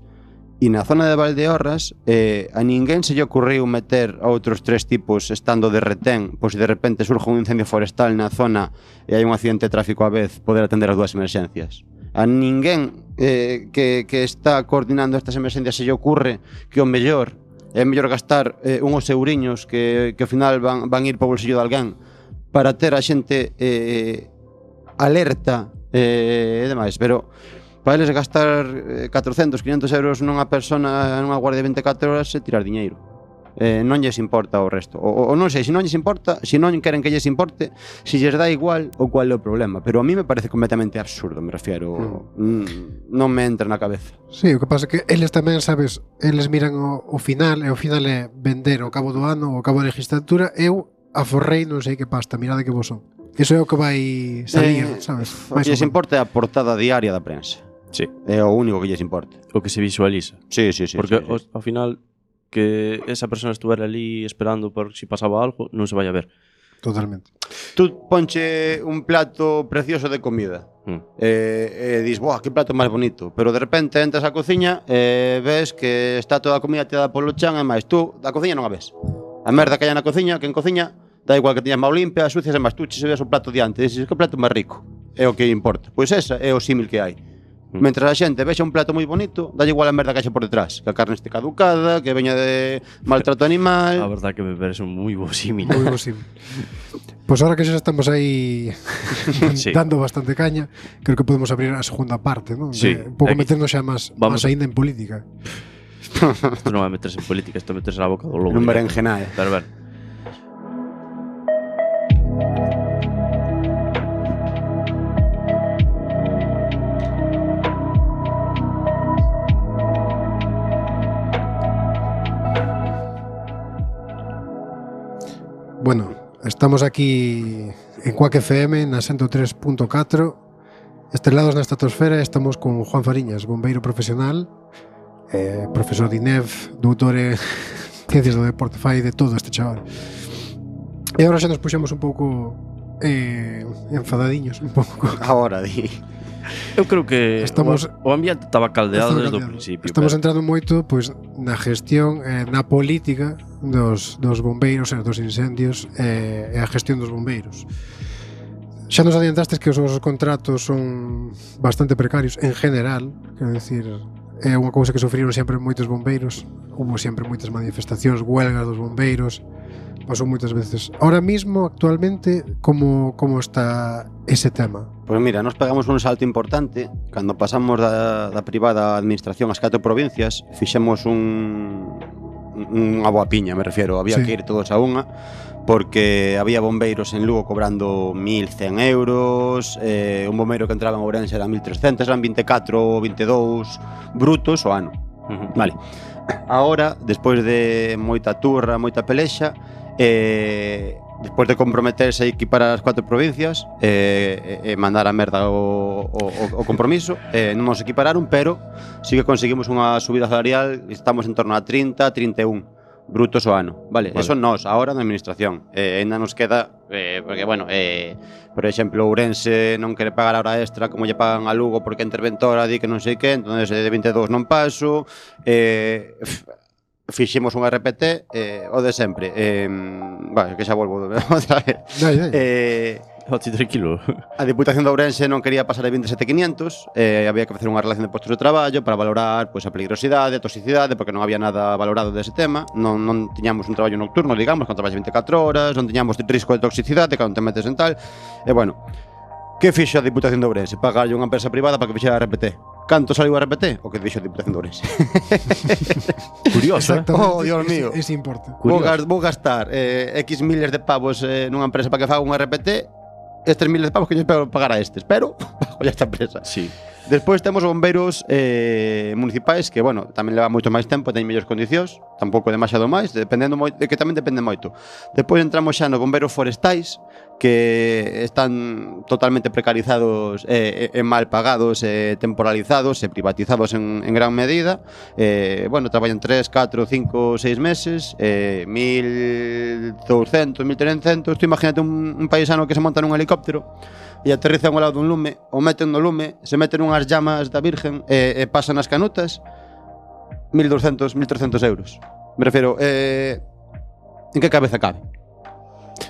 e na zona de Valdeorras a ninguén se lle ocurriu meter a outros 3 tipos estando de retén, pois se de repente surge un incendio forestal na zona e hai un accidente de tráfico á vez, poder atender as 2 emerxencias. A ninguén que está coordinando estas emerxencias se lle ocurre que o mellor é mellor gastar unhos euriños que ao final van ir para o bolsillo de alguén para ter a xente alerta e demais, pero para eles gastar 400, 500 euros nunha persona nunha guardia de 24 horas é tirar diñeiro. Non lles importa o resto. O non sei, se non lles importa, se non queren que lles importe, se lles dá igual ou cual é o problema. Pero a mí me parece completamente absurdo, me refiero. Non me entra na cabeza. Sí, o que pasa é que eles tamén, sabes, eles miran o final, e o final é vender ao cabo do ano, ao cabo da legislatura, eu aforrei non sei que pasta, mirade que vos son. Iso é o que vai salir, sabes? O que lles importa é a portada diaria da prensa. Sí. É o único que lles importa. O que se visualiza. Sí. Porque sí. ao final que esa persona estuvera ali esperando por si pasaba algo, non se vai a ver. Totalmente. Tú ponche un plato precioso de comida e dis, boa, que plato máis bonito, pero de repente entras á cociña e ves que está toda a comida tirada polo chan e máis, tú da cociña non a ves. A merda que hai na cociña, que en cociña da igual que tiñas máis limpia, sucias e máis, tú se ves o plato diante e dices, que plato máis rico, é o que importa. Pois esa é o símil que hai. Mentras a xente vexa un plato moi bonito, dalle igual a merda que haxe por detrás, que a carne este caducada, que veña de maltrato animal. A verdad que me parece un moi bo símil. Moi posible. Pois ahora que xa estamos aí Sí. dando bastante caña, creo que podemos abrir a segunda parte, ¿no? Sí. Un pouco Aquí. meternos xa máis aínda en política. Isto non vai meterse en política, isto meterse na boca do lobo. Un berenjenae. Pero ver. Bueno, estamos aquí en Quack FM na 103.4, estrelados na estratosfera. Estamos con Juan Fariñas, bombeiro profesional, profesor de INEF, doutor en ciencias do deporte, fai de todo este chaval. E agora xa nos puxemos un pouco enfadadiños, un pouco. Ahora, di. Eu creo que Estamos- o ambiente estaba caldeado desde o principio. Estamos pero- entrando moito pois na gestión, na política dos bombeiros e dos incendios e a gestión dos bombeiros. Xa nos adiantastes que os vosos contratos son bastante precarios en general, quero dicir, é unha cousa que sufriron sempre moitos bombeiros, hubo sempre moitas manifestacións, huelgas dos bombeiros, pasou moitas veces. Ahora mismo, actualmente, como está ese tema? Pois mira, nos pegamos un salto importante cando pasamos da privada administración ás 4 provincias, fixemos unha boa piña, me refiero, había Sí. que ir todos a unha, porque había bombeiros en Lugo cobrando 1.100 euros, un bombeiro que entraba en Ourense era 1.300, eran 24 ou 22 brutos o ano. Ujú. Vale. Ahora, despois de moita turra, moita pelexa, despois de comprometerse a equiparar as 4 provincias e mandar a merda o compromiso, non nos equipararon, pero sí que conseguimos unha subida salarial, estamos en torno a 30, 31 brutos o ano, vale? Eso nós, ahora na administración. Ainda nos queda, porque, bueno, por exemplo, Ourense non quere pagar a hora extra como lle pagan a Lugo porque a interventora di que non sei que, entonces de 22 non paso, fixemos un RPT, o de sempre. Vale, que xa volvo outra vez. Dai, dai. Ti tranquilo. A Diputación de Ourense non quería pasar de 27.500, había que facer unha relación de postos de traballo para valorar pois, a peligrosidade, a toxicidade, porque non había nada valorado dese tema, non tiñamos un traballo nocturno, digamos, con traballo 24 horas, non tiñamos risco de toxicidade cando te metes en tal, e bueno, que fixo a Diputación de Ourense? Pagarlle unha empresa privada para que fixera a RPT. Canto saliu a RPT? O que dixo a Diputación de Ourense. Curioso, Exactamente. Oh, Dios mío. Ese importe. Vou gastar X miles de pavos nunha empresa para que faga un RPT, estes miles de pavos que yo espero pagar a estes, pero bajo esta empresa. Sí. Despois temos bombeiros municipais que, bueno, tamén leva moito máis tempo, teñen mellores condicións, tampouco demasiado máis, dependendo moito, que tamén depende moito. Despois entramos xa no bombeiros forestais, que están totalmente precarizados e mal pagados, temporalizados e privatizados en gran medida. Bueno, traballan 3, 4, 5, 6 meses, 1.200, 1.300. Tú imagínate un paisano que se monta nun helicóptero e aterriza ao lado dun lume, o meten no lume, se meten unhas llamas da Virgen e pasan as canutas, 1.200, 1.300 euros. Me refiero, en que cabeza cabe?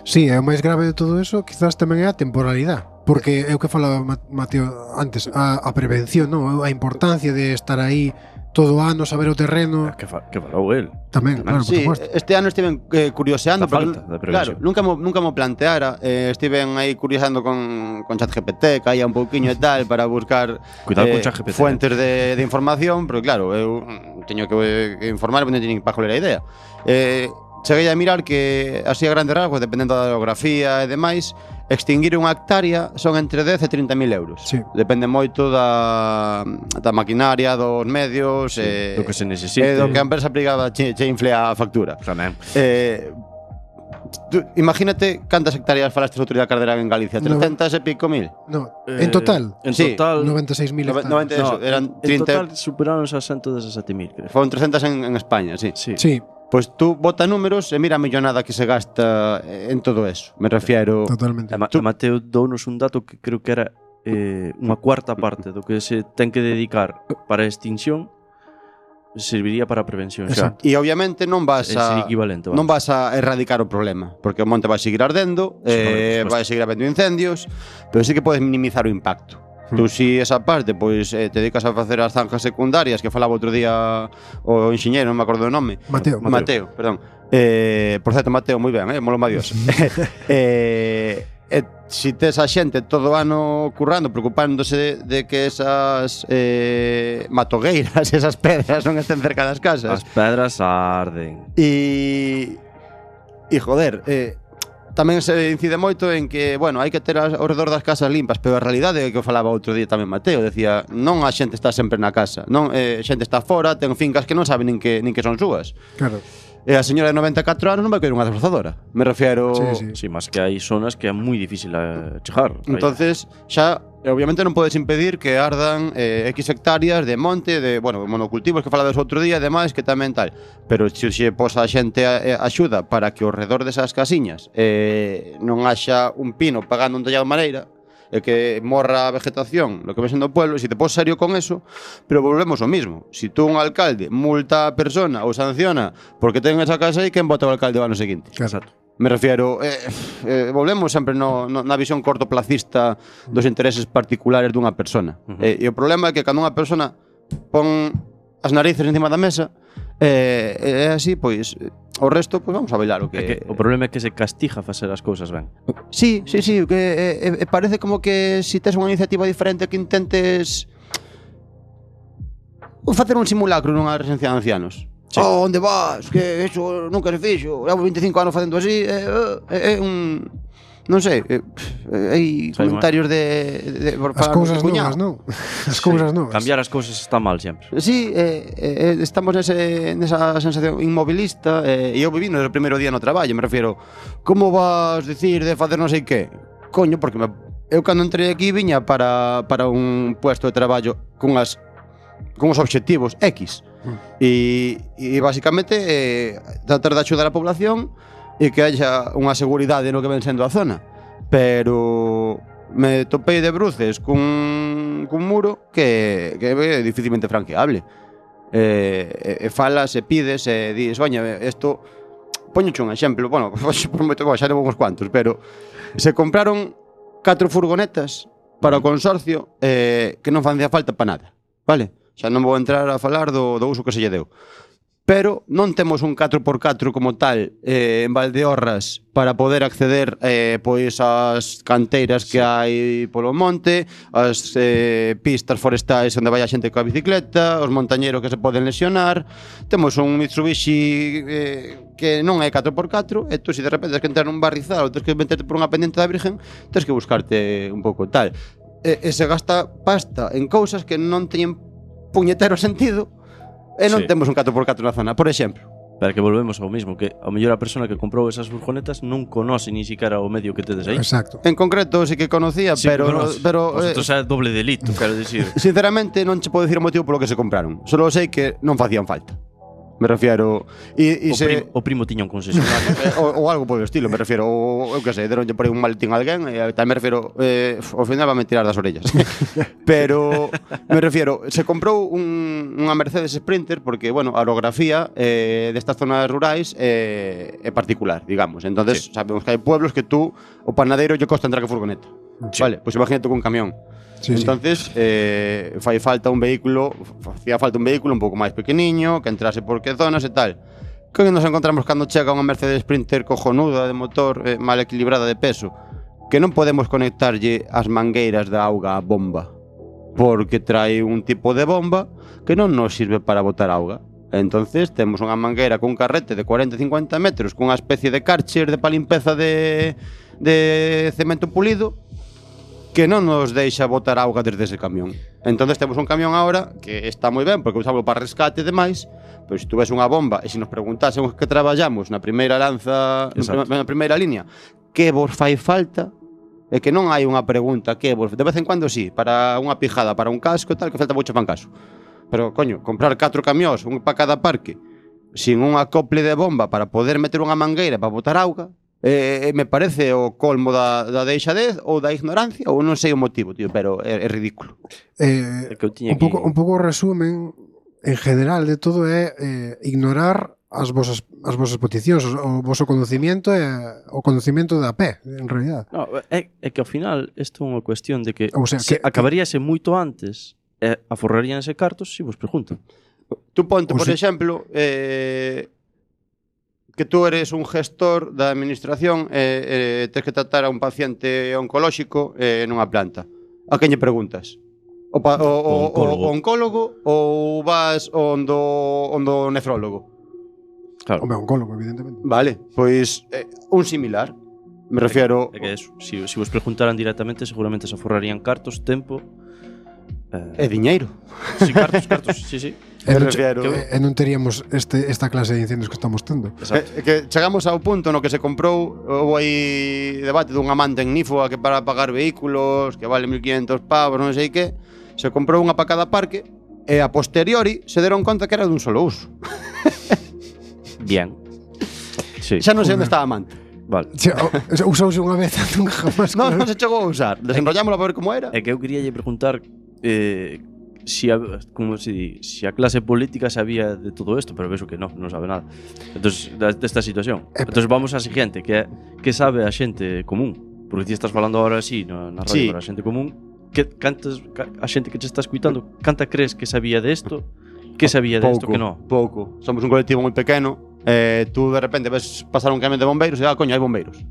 Sí, é o máis grave de todo eso, quizás tamén é a temporalidade, porque é o que falaba Mateo antes, a prevención, non? A importancia de estar aí todo o ano, saber o terreno, Que falou el. tamén, claro, por Sí, suposto. este ano estiven curioseando, A falta de claro, prevención. nunca mo planteara, estiven aí curioseando con ChatGPT, caía un pouquiño e tal para buscar Cuidado con ChatGPT. fuentes de información, pero claro, eu teño que informar, non teño para joler a idea. Cheguei a mirar que, así a grandes rasgos, dependendo da geografía e demais, extinguir unha hectárea son entre 10 e 30.000 euros. Sí. Depende moito da maquinaria, dos medios, Do que se necesite. e do que a empresa privada che infle a factura. Tamén. Imagínate cantas hectáreas falaste outro día Carderán en Galicia, 300 e pico mil. No, en total, En Sí. total. 96.000 90 hectáreas. eso, eran en 30. total superaron os 117.000, creo. Foron 300 en España, sí. Sí. Sí, Pois tú bota números e mira a millonada que se gasta en todo eso. Me refiero. totalmente. E Mateo dounos un dato que creo que era unha cuarta parte do que se ten que dedicar para a extinción serviría para a prevención xa. Exacto. E obviamente non vas É ser a equivalente, non vas a erradicar o problema, porque o monte vai seguir ardendo, Sí, por supuesto. vai seguir habendo incendios, pero sí que podes minimizar o impacto. Tú si esa parte, pois te dedicas a facer as zanjas secundarias que falaba outro día o enxeñeiro, non me acordo o nome. Mateo. Mateo, perdón. Por certo, Mateo, moi ben, molo madios. Si tes a xente todo o ano currando, preocupándose de que esas matogueiras, esas pedras non estén cerca das casas. As pedras arden. E joder, tamén se incide moito en que, bueno, hai que ter ao redor das casas limpas, pero a realidade é que o falaba outro día tamén Mateo, decía, non a xente está sempre na casa, non, a xente está fora, ten fincas que non saben nin que son súas. Claro. E a señora de 94 anos non vai coller unha desbrozadora. Me refiero... Sí, mas que hai zonas que é moi difícil chegar. Entonces, xa, obviamente non podes impedir que ardan X hectáreas de monte, de, bueno, monocultivos que falades outro día, e demais, que tamén tal. Pero se posa a xente axuda para que ao redor desas casiñas non haxa un pino pagando un tallado de madeira, e que morra a vegetación, lo que ven sendo o pueblo, se te pos serio con eso, pero volvemos ao mismo. Si tú un alcalde multa a persona ou sanciona porque ten esa casa aí, quen vota o alcalde o ano seguinte? Exacto. Me refiero, volvemos sempre na visión cortoplacista dos intereses particulares dunha persona. E o problema é que cando unha persona pon as narices encima da mesa, é así, pois o resto, pois vamos a bailar o que... É que o problema é que se castiga facer as cousas ben. Sí, que parece como que si tes unha iniciativa diferente que intentes facer un simulacro nunha residencia de ancianos. Sí. Oh, onde vas? Que eso nunca se fixo. Levo 25 anos facendo así. É un... Non sei, hai comentarios de por as cousas novas, non? As cousas novas. Cambiar as cousas está mal sempre. Sí, estamos nesa sensación inmobilista, e eu viví no primeiro día no traballo, me refiero, como vas dicir de facer non sei que? Coño, porque eu cando entrei aquí viña para un puesto de traballo con os obxectivos X. E basicamente tratar de axudar a población e que haya unha seguridade no que ven sendo a zona. Pero me topei de bruces cun muro que é dificilmente franqueable. Falas e pides e dis, oña, isto... Poñoche un exemplo, bueno, prometo que xa levo uns cuantos, pero se compraron 4 furgonetas para o consorcio que non facía falta para nada, vale? Xa non vou entrar a falar do uso que se lle deu. Pero non temos un 4x4 como tal en Valdeorras para poder acceder pois ás canteiras que hai polo monte, as pistas forestais onde vai a xente coa bicicleta, os montañeros que se poden lesionar. Temos un Mitsubishi que non é 4x4, e tú se de repente tens que entrar nun barrizal ou tens que meterte por unha pendiente da Virgen, tens que buscarte un pouco tal. E se gasta pasta en cousas que non teñen puñetero sentido. E non temos un 4x4 na zona, por exemplo. Pero que volvemos ao mismo, que ao mellor a persona que comprou esas furgonetas non conoce ni siquiera o medio que tedes aí. Exacto. En concreto sí que conocía, sí, pero vosotros é doble delito, quero dicir. Sinceramente non che podo dicir o motivo polo que se compraron. Solo sei que non facían falta. Me refiero o primo tiña un concesionario ou algo polo estilo, me refiero, eu que sei, deronlle por aí un maletín a alguén e tal, me refiero, ao final va a me tirar das orellas. Pero me refiero, se comprou unha Mercedes Sprinter porque, bueno, a orografía destas zonas rurais é particular, digamos. Entonces, sabemos que hai pueblos que tú, o panadeiro lle costa entrar que furgoneta. Vale, pois imagínate con un camión. Entonces, facía falta un vehículo un pouco máis pequeniño, que entrase por que zonas e tal. Que nos encontramos cando chega unha Mercedes Sprinter cojonuda de motor, mal equilibrada de peso, que non podemos conectarlle as mangueiras da auga á bomba, porque trae un tipo de bomba que non nos sirve para botar auga. Entonces temos unha mangueira cun carrete de 40-50 metros cunha especie de Karcher de palimpeza de cemento pulido que non nos deixa botar auga desde ese camión. Entonces temos un camión agora que está moi ben porque usamos para rescate e demais, pero se tú ves unha bomba e se nos preguntásemos que traballamos na primeira lanza, na primeira línea, que vos fai falta, é que non hai unha pregunta que vos, de vez en cuando sí, para unha pijada, para un casco e tal, que falta moito fan caso. Pero coño, comprar 4 camións, un para cada parque, sin un acople de bomba para poder meter unha mangueira para botar auga, me parece o colmo da deixadez ou da ignorancia, ou non sei o motivo, tío, pero é ridículo. Un pouco o resumen en general de todo é ignorar as vosas peticións, o voso conocimiento e o conocimiento da pé, en realidad. No, é que ao final isto é unha cuestión de que, o sea, acabaríase moito antes e aforraríanse cartos se vos preguntan. Tú ponte, por exemplo, que tú eres un gestor da administración e tens que tratar a un paciente oncolóxico nunha planta. A quen lle preguntas? O oncólogo ou vas ondo nefrólogo? Claro. O oncólogo, evidentemente. Vale, pois un similar. Me refiero... É que eso, se vos preguntaran directamente seguramente se aforrarían cartos, tempo... E diñeiro. Sí, cartos, sí. E non, refiero. e non teríamos esta clase de incendios que estamos tendo. Que chegamos ao punto no que se comprou, houve aí debate dunha manta ignífuga que para pagar vehículos, que vale 1.500 pavos, non sei que, se comprou unha para cada parque, e a posteriori se deron conta que era dun solo uso. Bien. Sí. Xa non sei onde estaba a manta. Vale. Usouse unha vez, nunca jamás. Non se chegou a usar. Desenrollámoslo para ver como era. É que eu quería lle preguntar si a clase política sabía de todo isto, pero vexo que non sabe nada. Entonces, desta situación. Entonces vamos á siguiente, que sabe a xente común. Porque ti estás falando agora así na radio para a xente común. A xente que te está escuitando, canta crees que sabía de isto? Que sabía de isto que non? Pouco. Somos un colectivo moi pequeno. Tú de repente ves pasar un camión de bombeiros e coño, hai bombeiros.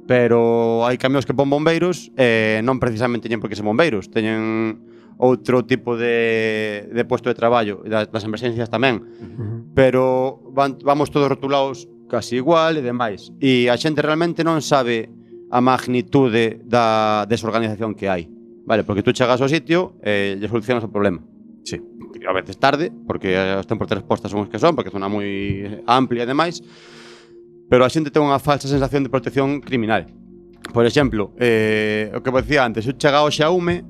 Pero hai camións que pon bombeiros non precisamente teñen por que ser bombeiros, teñen outro tipo de puesto de traballo, das emergencias tamén. Pero vamos todos rotulados casi igual e demais. E a xente realmente non sabe a magnitude da desorganización que hai. Vale, porque tú chegas ao sitio e lle solucionas o problema. Sí. A veces tarde, porque os tempos de resposta son os que son, porque é zona moi amplia e demais, pero a xente ten unha falsa sensación de protección criminal. Por exemplo, o que vos dicía antes, eu chega ao Xaume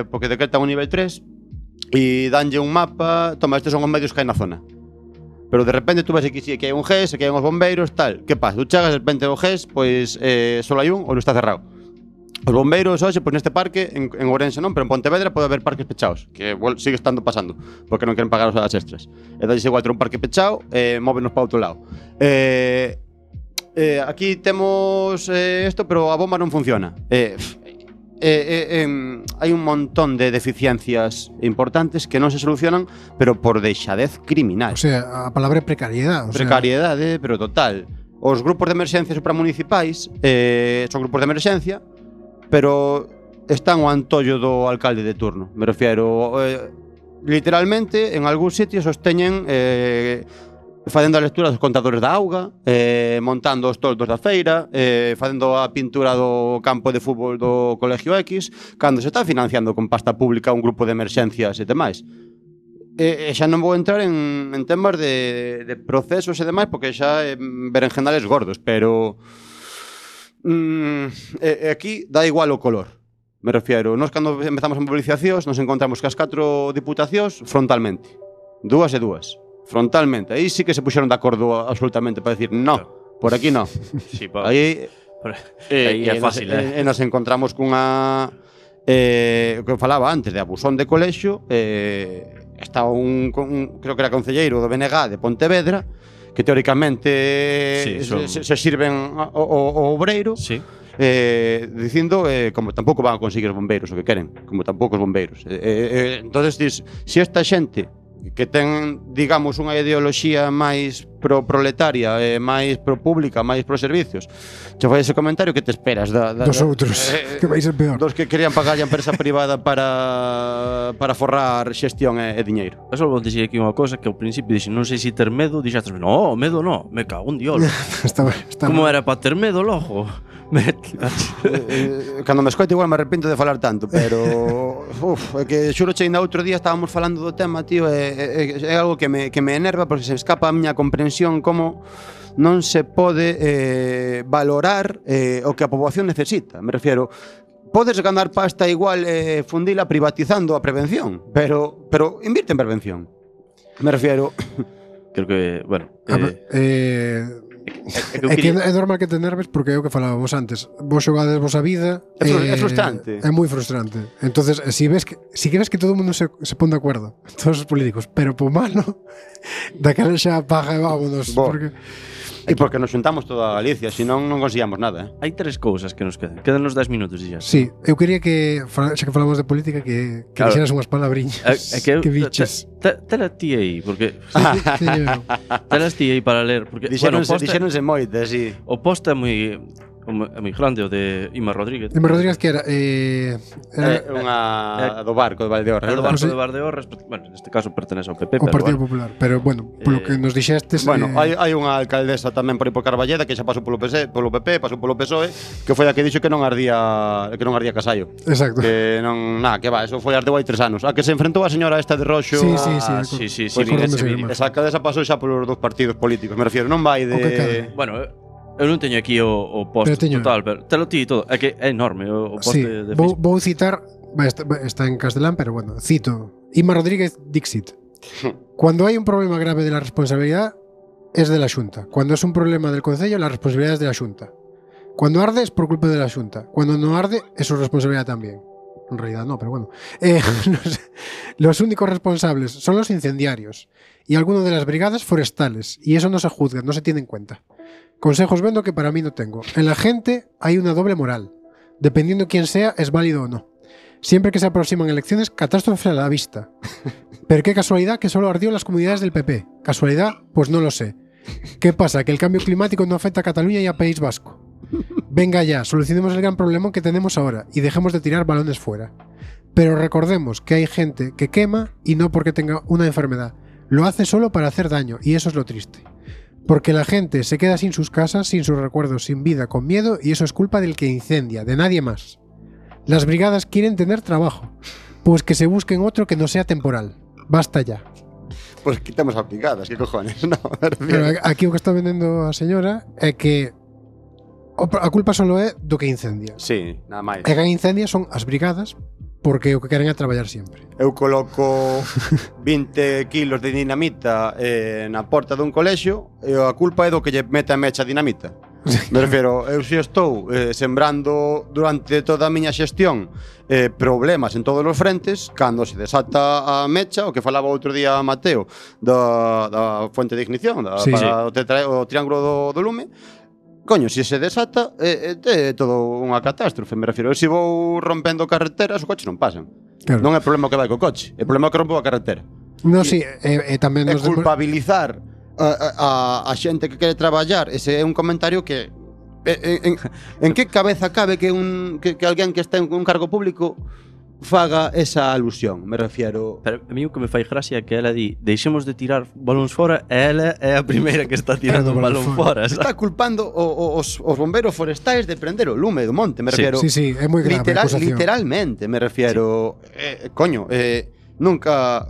porque decretan un nivel 3 e danlle un mapa, toma, estes son os medios que hai na zona. Pero de repente tú ves que hai un GES, que hai uns bombeiros, tal. Que pasa? Tú chegas de repente ao GES, pois só hai un ou non está cerrado. Os bombeiros hoxe, pois neste parque, en Ourense non, pero en Pontevedra pode haber parques pechados, que sigue estando pasando, porque non queren pagar as horas extras. E dalles igual ter un parque pechado, móvenos para outro lado. Aquí temos isto, pero a bomba non funciona. Hai un montón de deficiencias importantes que non se solucionan, pero por deixadez criminal. O sea, a palabra é precariedade. Precariedade, pero total. Os grupos de emerxencia supramunicipais son grupos de emerxencia, pero están ao antollo do alcalde de turno. Me refiero, literalmente, en algúns sitios sosteñen facendo a lectura dos contadores da auga, montando os toldos da feira, facendo a pintura do campo de fútbol do Colegio X, cando se está financiando con pasta pública un grupo de emerxencias e demais. E xa non vou entrar en temas de procesos e demais, porque xa berenjenales gordos, pero aquí dá igual o color. Me refiero, nós cando empezamos a mobilizacións nos encontramos que as 4 diputacións frontalmente, 2 e 2 frontalmente, aí sí que se puxeron de acordo absolutamente para decir no, por aquí no. Sí, aí é fácil, e nos encontramos cunha o que falaba antes de abusón de colexio, está creo que era concelleiro do BNG de Pontevedra, que teóricamente se sirven o obreiro, sí. Dicindo como tampouco van a conseguir os bombeiros o que queren, como tampouco os bombeiros. Entonces dis, se esta xente que ten, digamos, unha ideoloxía máis pro-proletaria, máis pro-pública, máis pro-servicios, che fai ese comentario, que te esperas dos outros, que vai ser peor, dos que querían pagar a empresa privada para forrar xestión e diñeiro. Eu só vou dicir aquí unha cosa, que ao principio dixen, non sei se ter medo, dixastes, no, medo no, me cago en diolo. Como era para ter medo, logo? Cando me escoito igual me arrepento de falar tanto, pero é que xuro che ainda outro día estábamos falando do tema, tío, é algo que me enerva, porque se escapa a miña comprensión como non se pode valorar o que a poboación necesita. Me refiero, podes ganar pasta igual fundila privatizando a prevención, pero invirte en prevención. Me refiero, creo que, bueno, é normal que te nerves, porque é o que falábamos antes. Vos xogades vos a vida, é frustrante. É moi frustrante. Entonces, si ves que todo o mundo se pon de acordo, todos os políticos, pero po malo, daquela xa paga e vámonos, porque E porque nos xuntamos toda a Galicia, senón non conseguíamos nada. Hai 3 cousas que nos quedan. Quedanos 10 minutos xa. Sí, eu quería que, xa que falamos de política, que claro, dixeras unhas palabriñas. Que biches. Tela ti aí, porque telas ti aí para ler, porque dixéronse moitas, sí. O post é moi É moi grande o de Ima Rodríguez. Ima Rodríguez que era unha do barco de Valdeorras. É do Barco barco sí. de Valdeorras, bueno, neste caso pertenece ao PP, o pero Partido bueno. Popular, pero bueno, polo que nos dixestes Bueno, hai unha alcaldesa tamén por aí por Carballeda que xa pasou polo PP, pasou polo PSOE, que foi a que dixo que non ardía Casallo. Exacto. Que non, que va, eso foi ardeu hai 3 anos. A que se enfrentou a señora esta de roxo. Sí, sí, Ah, sí. sí, Pois vin ese sí, vídeo. Esa alcaldesa pasou xa polos dous partidos políticos, me refiero, non vai O que cadre. de Bueno, eu non teño aquí o post Pero teño. total, pero te lo ti e todo. É que é enorme o post Sí, de vou, Facebook. vou citar, está en castelán, pero bueno, cito. Ima Rodríguez Dixit. Cuando hay un problema grave de la responsabilidad, es de la Xunta. Cuando es un problema del Concello, la responsabilidad es de la Xunta. Cuando arde es por culpa de la Xunta. Cuando no arde es su responsabilidad también. En realidad no, pero bueno. Los únicos responsables son los incendiarios y algunos de las brigadas forestales. Y eso no se juzga, no se tiene en cuenta. Consejos vendo que para mí no tengo. En la gente hay una doble moral. Dependiendo quién sea, es válido o no. Siempre que se aproximan elecciones, catástrofe a la vista. Pero qué casualidad que solo ardió en las comunidades del PP. ¿Casualidad? Pues no lo sé. ¿Qué pasa? ¿Que el cambio climático no afecta a Cataluña y a País Vasco? Venga ya, solucionemos el gran problema que tenemos ahora y dejemos de tirar balones fuera. Pero recordemos que hay gente que quema y no porque tenga una enfermedad. Lo hace solo para hacer daño y eso es lo triste. Porque la gente se queda sin sus casas, sin sus recuerdos, sin vida, con miedo y eso es culpa del que incendia, de nadie más. Las brigadas quieren tener trabajo, pues que se busquen otro que no sea temporal. Basta ya. Pues quitamos as brigadas, que cojones, no, Pero aquí o que está vendendo a señora é que a culpa solo é do que incendia. Sí, nada máis. E que incendia son as brigadas porque o que queren é traballar sempre. Eu coloco 20 kilos de dinamita na porta dun colexio e a culpa é do que lle mete a mecha a dinamita. Me refiero, eu si estou sembrando durante toda a miña xestión problemas en todos os frentes, cando se desata a mecha, o que falaba outro día Mateo da fuente de ignición, Sí, para o triángulo do lume, coño, se se desata é todo unha catástrofe, me refiero. Eu se vou rompendo carreteras, os coches non pasan. Claro. Non é problema que vai co coche, é problema que rompeu a carretera. No, sí, e tamén É nos culpabilizar a xente que quere traballar. Ese é un comentario que en que cabeza cabe que alguén que está en un cargo público faga esa alusión, me refiero. Pero a mí o que me fai gracia é que ela di deixemos de tirar balóns fora e ela é a primeira que está tirando un balón fora. Está culpando os bombeiros forestais de prender o lume do monte, me refiero. Sí, é moi grave a acusación. Literalmente, me refiero. Coño, nunca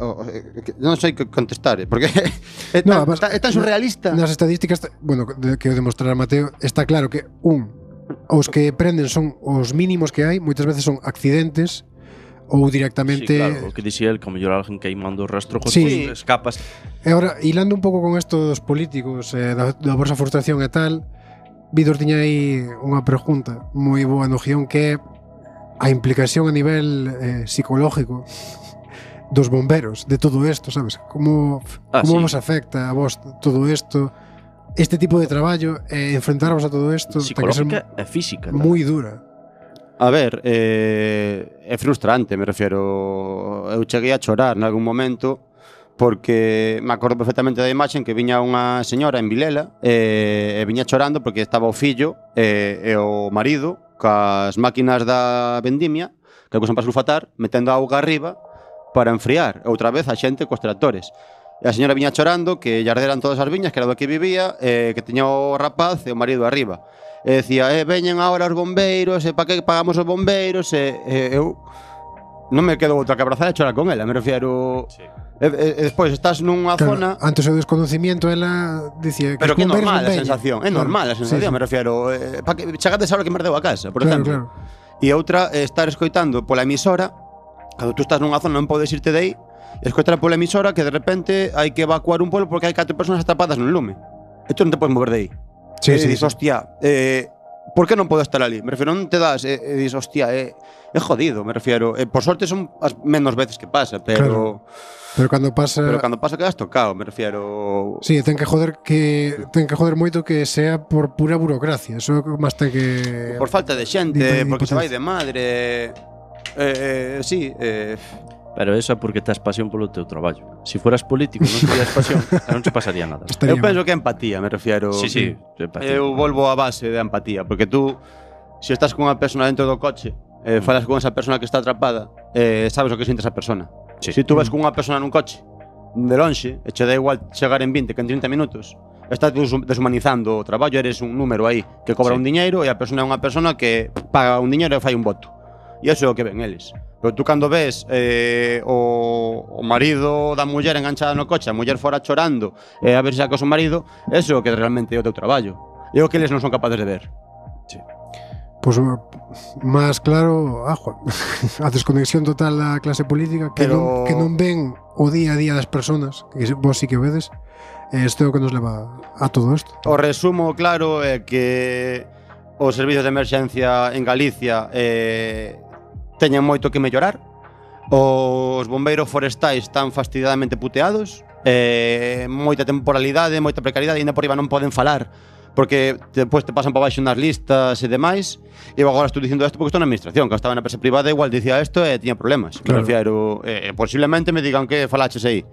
non sei que contestar, porque é tan surrealista. Nas estadísticas, bueno, que o demostrará Mateo, está claro que os que prenden son os mínimos que hai, moitas veces son accidentes ou directamente. Sí, claro, o que dixía el, que ao mellor alguén queimando o rastro con Sí. escapas. E agora, hilando un pouco con esto dos políticos, da vosa frustración e tal, Vítor tiña aí unha pregunta moi boa no guión, que é a implicación a nivel psicológico dos bomberos, de todo isto, sabes? Como Sí. vos afecta a vos todo isto, este tipo de traballo, enfrentaros a todo isto, ten que ser Psicológica e física. moi dura. A ver, é frustrante, me refiero. Eu cheguei a chorar en algún momento porque me acordo perfectamente da imaxe en que viña unha señora en Vilela e viña chorando porque estaba o fillo e o marido cas máquinas da vendimia que usan para sulfatar, metendo auga arriba para enfriar outra vez a xente cos tractores. E a señora viña chorando que lle arderan todas as viñas, que era do que vivía, que tiña o rapaz e o marido arriba. E decía, veñen agora os bombeiros, para que pagamos os bombeiros? Eu non me quedo outra que abrazar e chorar con ela, me refiero. Sí. E despois estás nunha zona. Antes o desconocimiento, ela dicía que pero que é normal a veñen. sensación, é normal a sensación, sí. Me refiero. Para que chegades a hora que me ardeu a casa, por exemplo. Claro. E outra, estar escoitando pola emisora, cando tú estás nunha zona non podes irte de aí, escoitar pola emisora que de repente hai que evacuar un pueblo porque hai 4 personas atrapadas no lume. E tú non te podes mover de aí. Sí, Dices, hostia, por que non podo estar ali? Me refiero, non te das, dices, hostia, é jodido, me refiero. Por sorte son as menos veces que pasa, pero. Claro. Pero cando pasa quedas tocado, me refiero. Sí, ten que joder moito que sea por pura burocracia. Eso máis ten que. Por falta de xente, porque se vai de madre. Sí. Pero eso é porque tes pasión polo teu traballo. Se fueras político e non tivieras pasión, non se pasaría nada. Eu penso que é empatía, me refiero. Sí, empatía. Eu volvo á base de empatía, porque tú, se estás con unha persona dentro do coche, falas con esa persona que está atrapada, sabes o que siente esa persona. Sí. Se tú ves con unha persona nun coche, de lonxe, e che dá igual chegar en 20 que en 30 minutos, estás deshumanizando o traballo, eres un número aí que cobra un diñeiro e a persona é unha persona que paga un diñeiro e fai un voto. E iso é o que ven eles. Pero tú cando ves o marido da muller enganchada no coche, a muller fora chorando, a ver se saca o seu marido, eso é o que realmente é o teu traballo. É o que eles non son capaces de ver. Sí. Pois máis claro, Juan, a desconexión total da clase política que, Pero... que non ven o día a día das persoas, que vos sí que vedes, isto é o que nos leva a todo isto. O resumo claro é que os servizos de emerxencia en Galicia teñen moito que mellorar. Os bombeiros forestais están fastidiadamente puteados, moita temporalidade, moita precariedade, e ainda por riba non poden falar porque depois te pasan para baixo nas listas e demais. E eu agora estou dicindo isto porque estou na administración, que estaba na empresa privada igual dicía isto e tiña problemas. Claro. Me refiero, posiblemente me digan que falaches aí.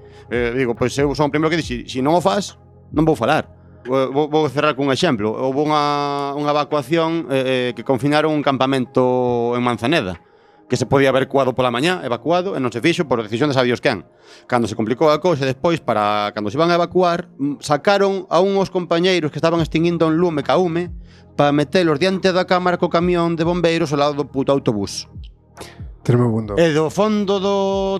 Digo, pois eu son o primeiro que dixi, se non o faz, non vou falar. Vou cerrar cun exemplo. Houve unha evacuación que confinaron un campamento en Manzaneda, que se podía haber evacuado pola mañá, evacuado, e non se fixo por decisión de sabios quen. Cando se complicou a cousa, despois, para cando se iban a evacuar, sacaron a unhos compañeiros que estaban extinguindo un lume caume para metelos diante da cámara co camión de bombeiros ao lado do puto autobús. Tremendo. E do fondo do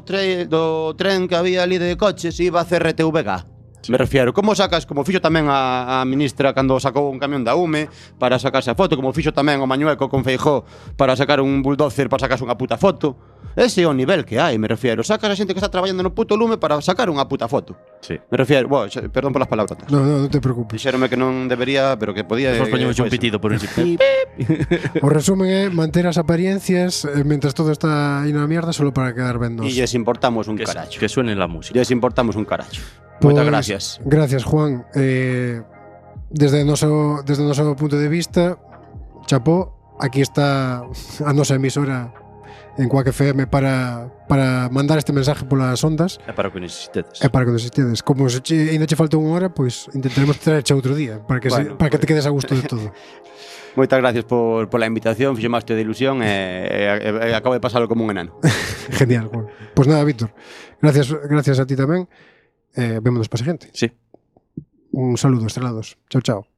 tren que había ali de coches iba a CRTVG. Me refiero, como sacas, como fixo tamén a ministra cando sacou un camión da UME para sacarse a foto, como fixo tamén o Mañueco con Feijóo para sacar un bulldozer para sacarse unha puta foto. Ese é o nivel que hai, me refiero. Sacas a xente que está traballando no puto lume para sacar unha puta foto. Sí. Me refiero, perdón polas palabras. Non te preocupes. Dixéronme que non debería, pero que podía. Despois poñemos un pitido por un pip. O resumen é manter as apariencias mentras todo está aí na mierda solo para quedar ben nos. E lles importamos un caracho. Que suene la música. Lles importamos un caracho. Pues, moitas gracias. Gracias, Juan. Desde o noso punto de vista, chapó, aquí está a nosa emisora en Quack FM para mandar este mensaje polas ondas. É para o que necesitedes. É para que necesitedes. Como se ainda che falta unha hora, pois intentaremos traerche outro día para que, para que te quedes a gusto de todo. Moitas gracias por la invitación, fixo máis de ilusión e acabo de pasalo como un enano. Genial, Juan. Pois nada, Víctor, gracias a ti tamén. Vémonos para a seguinte. Sí. Un saludo, estrelados. Chao, chao.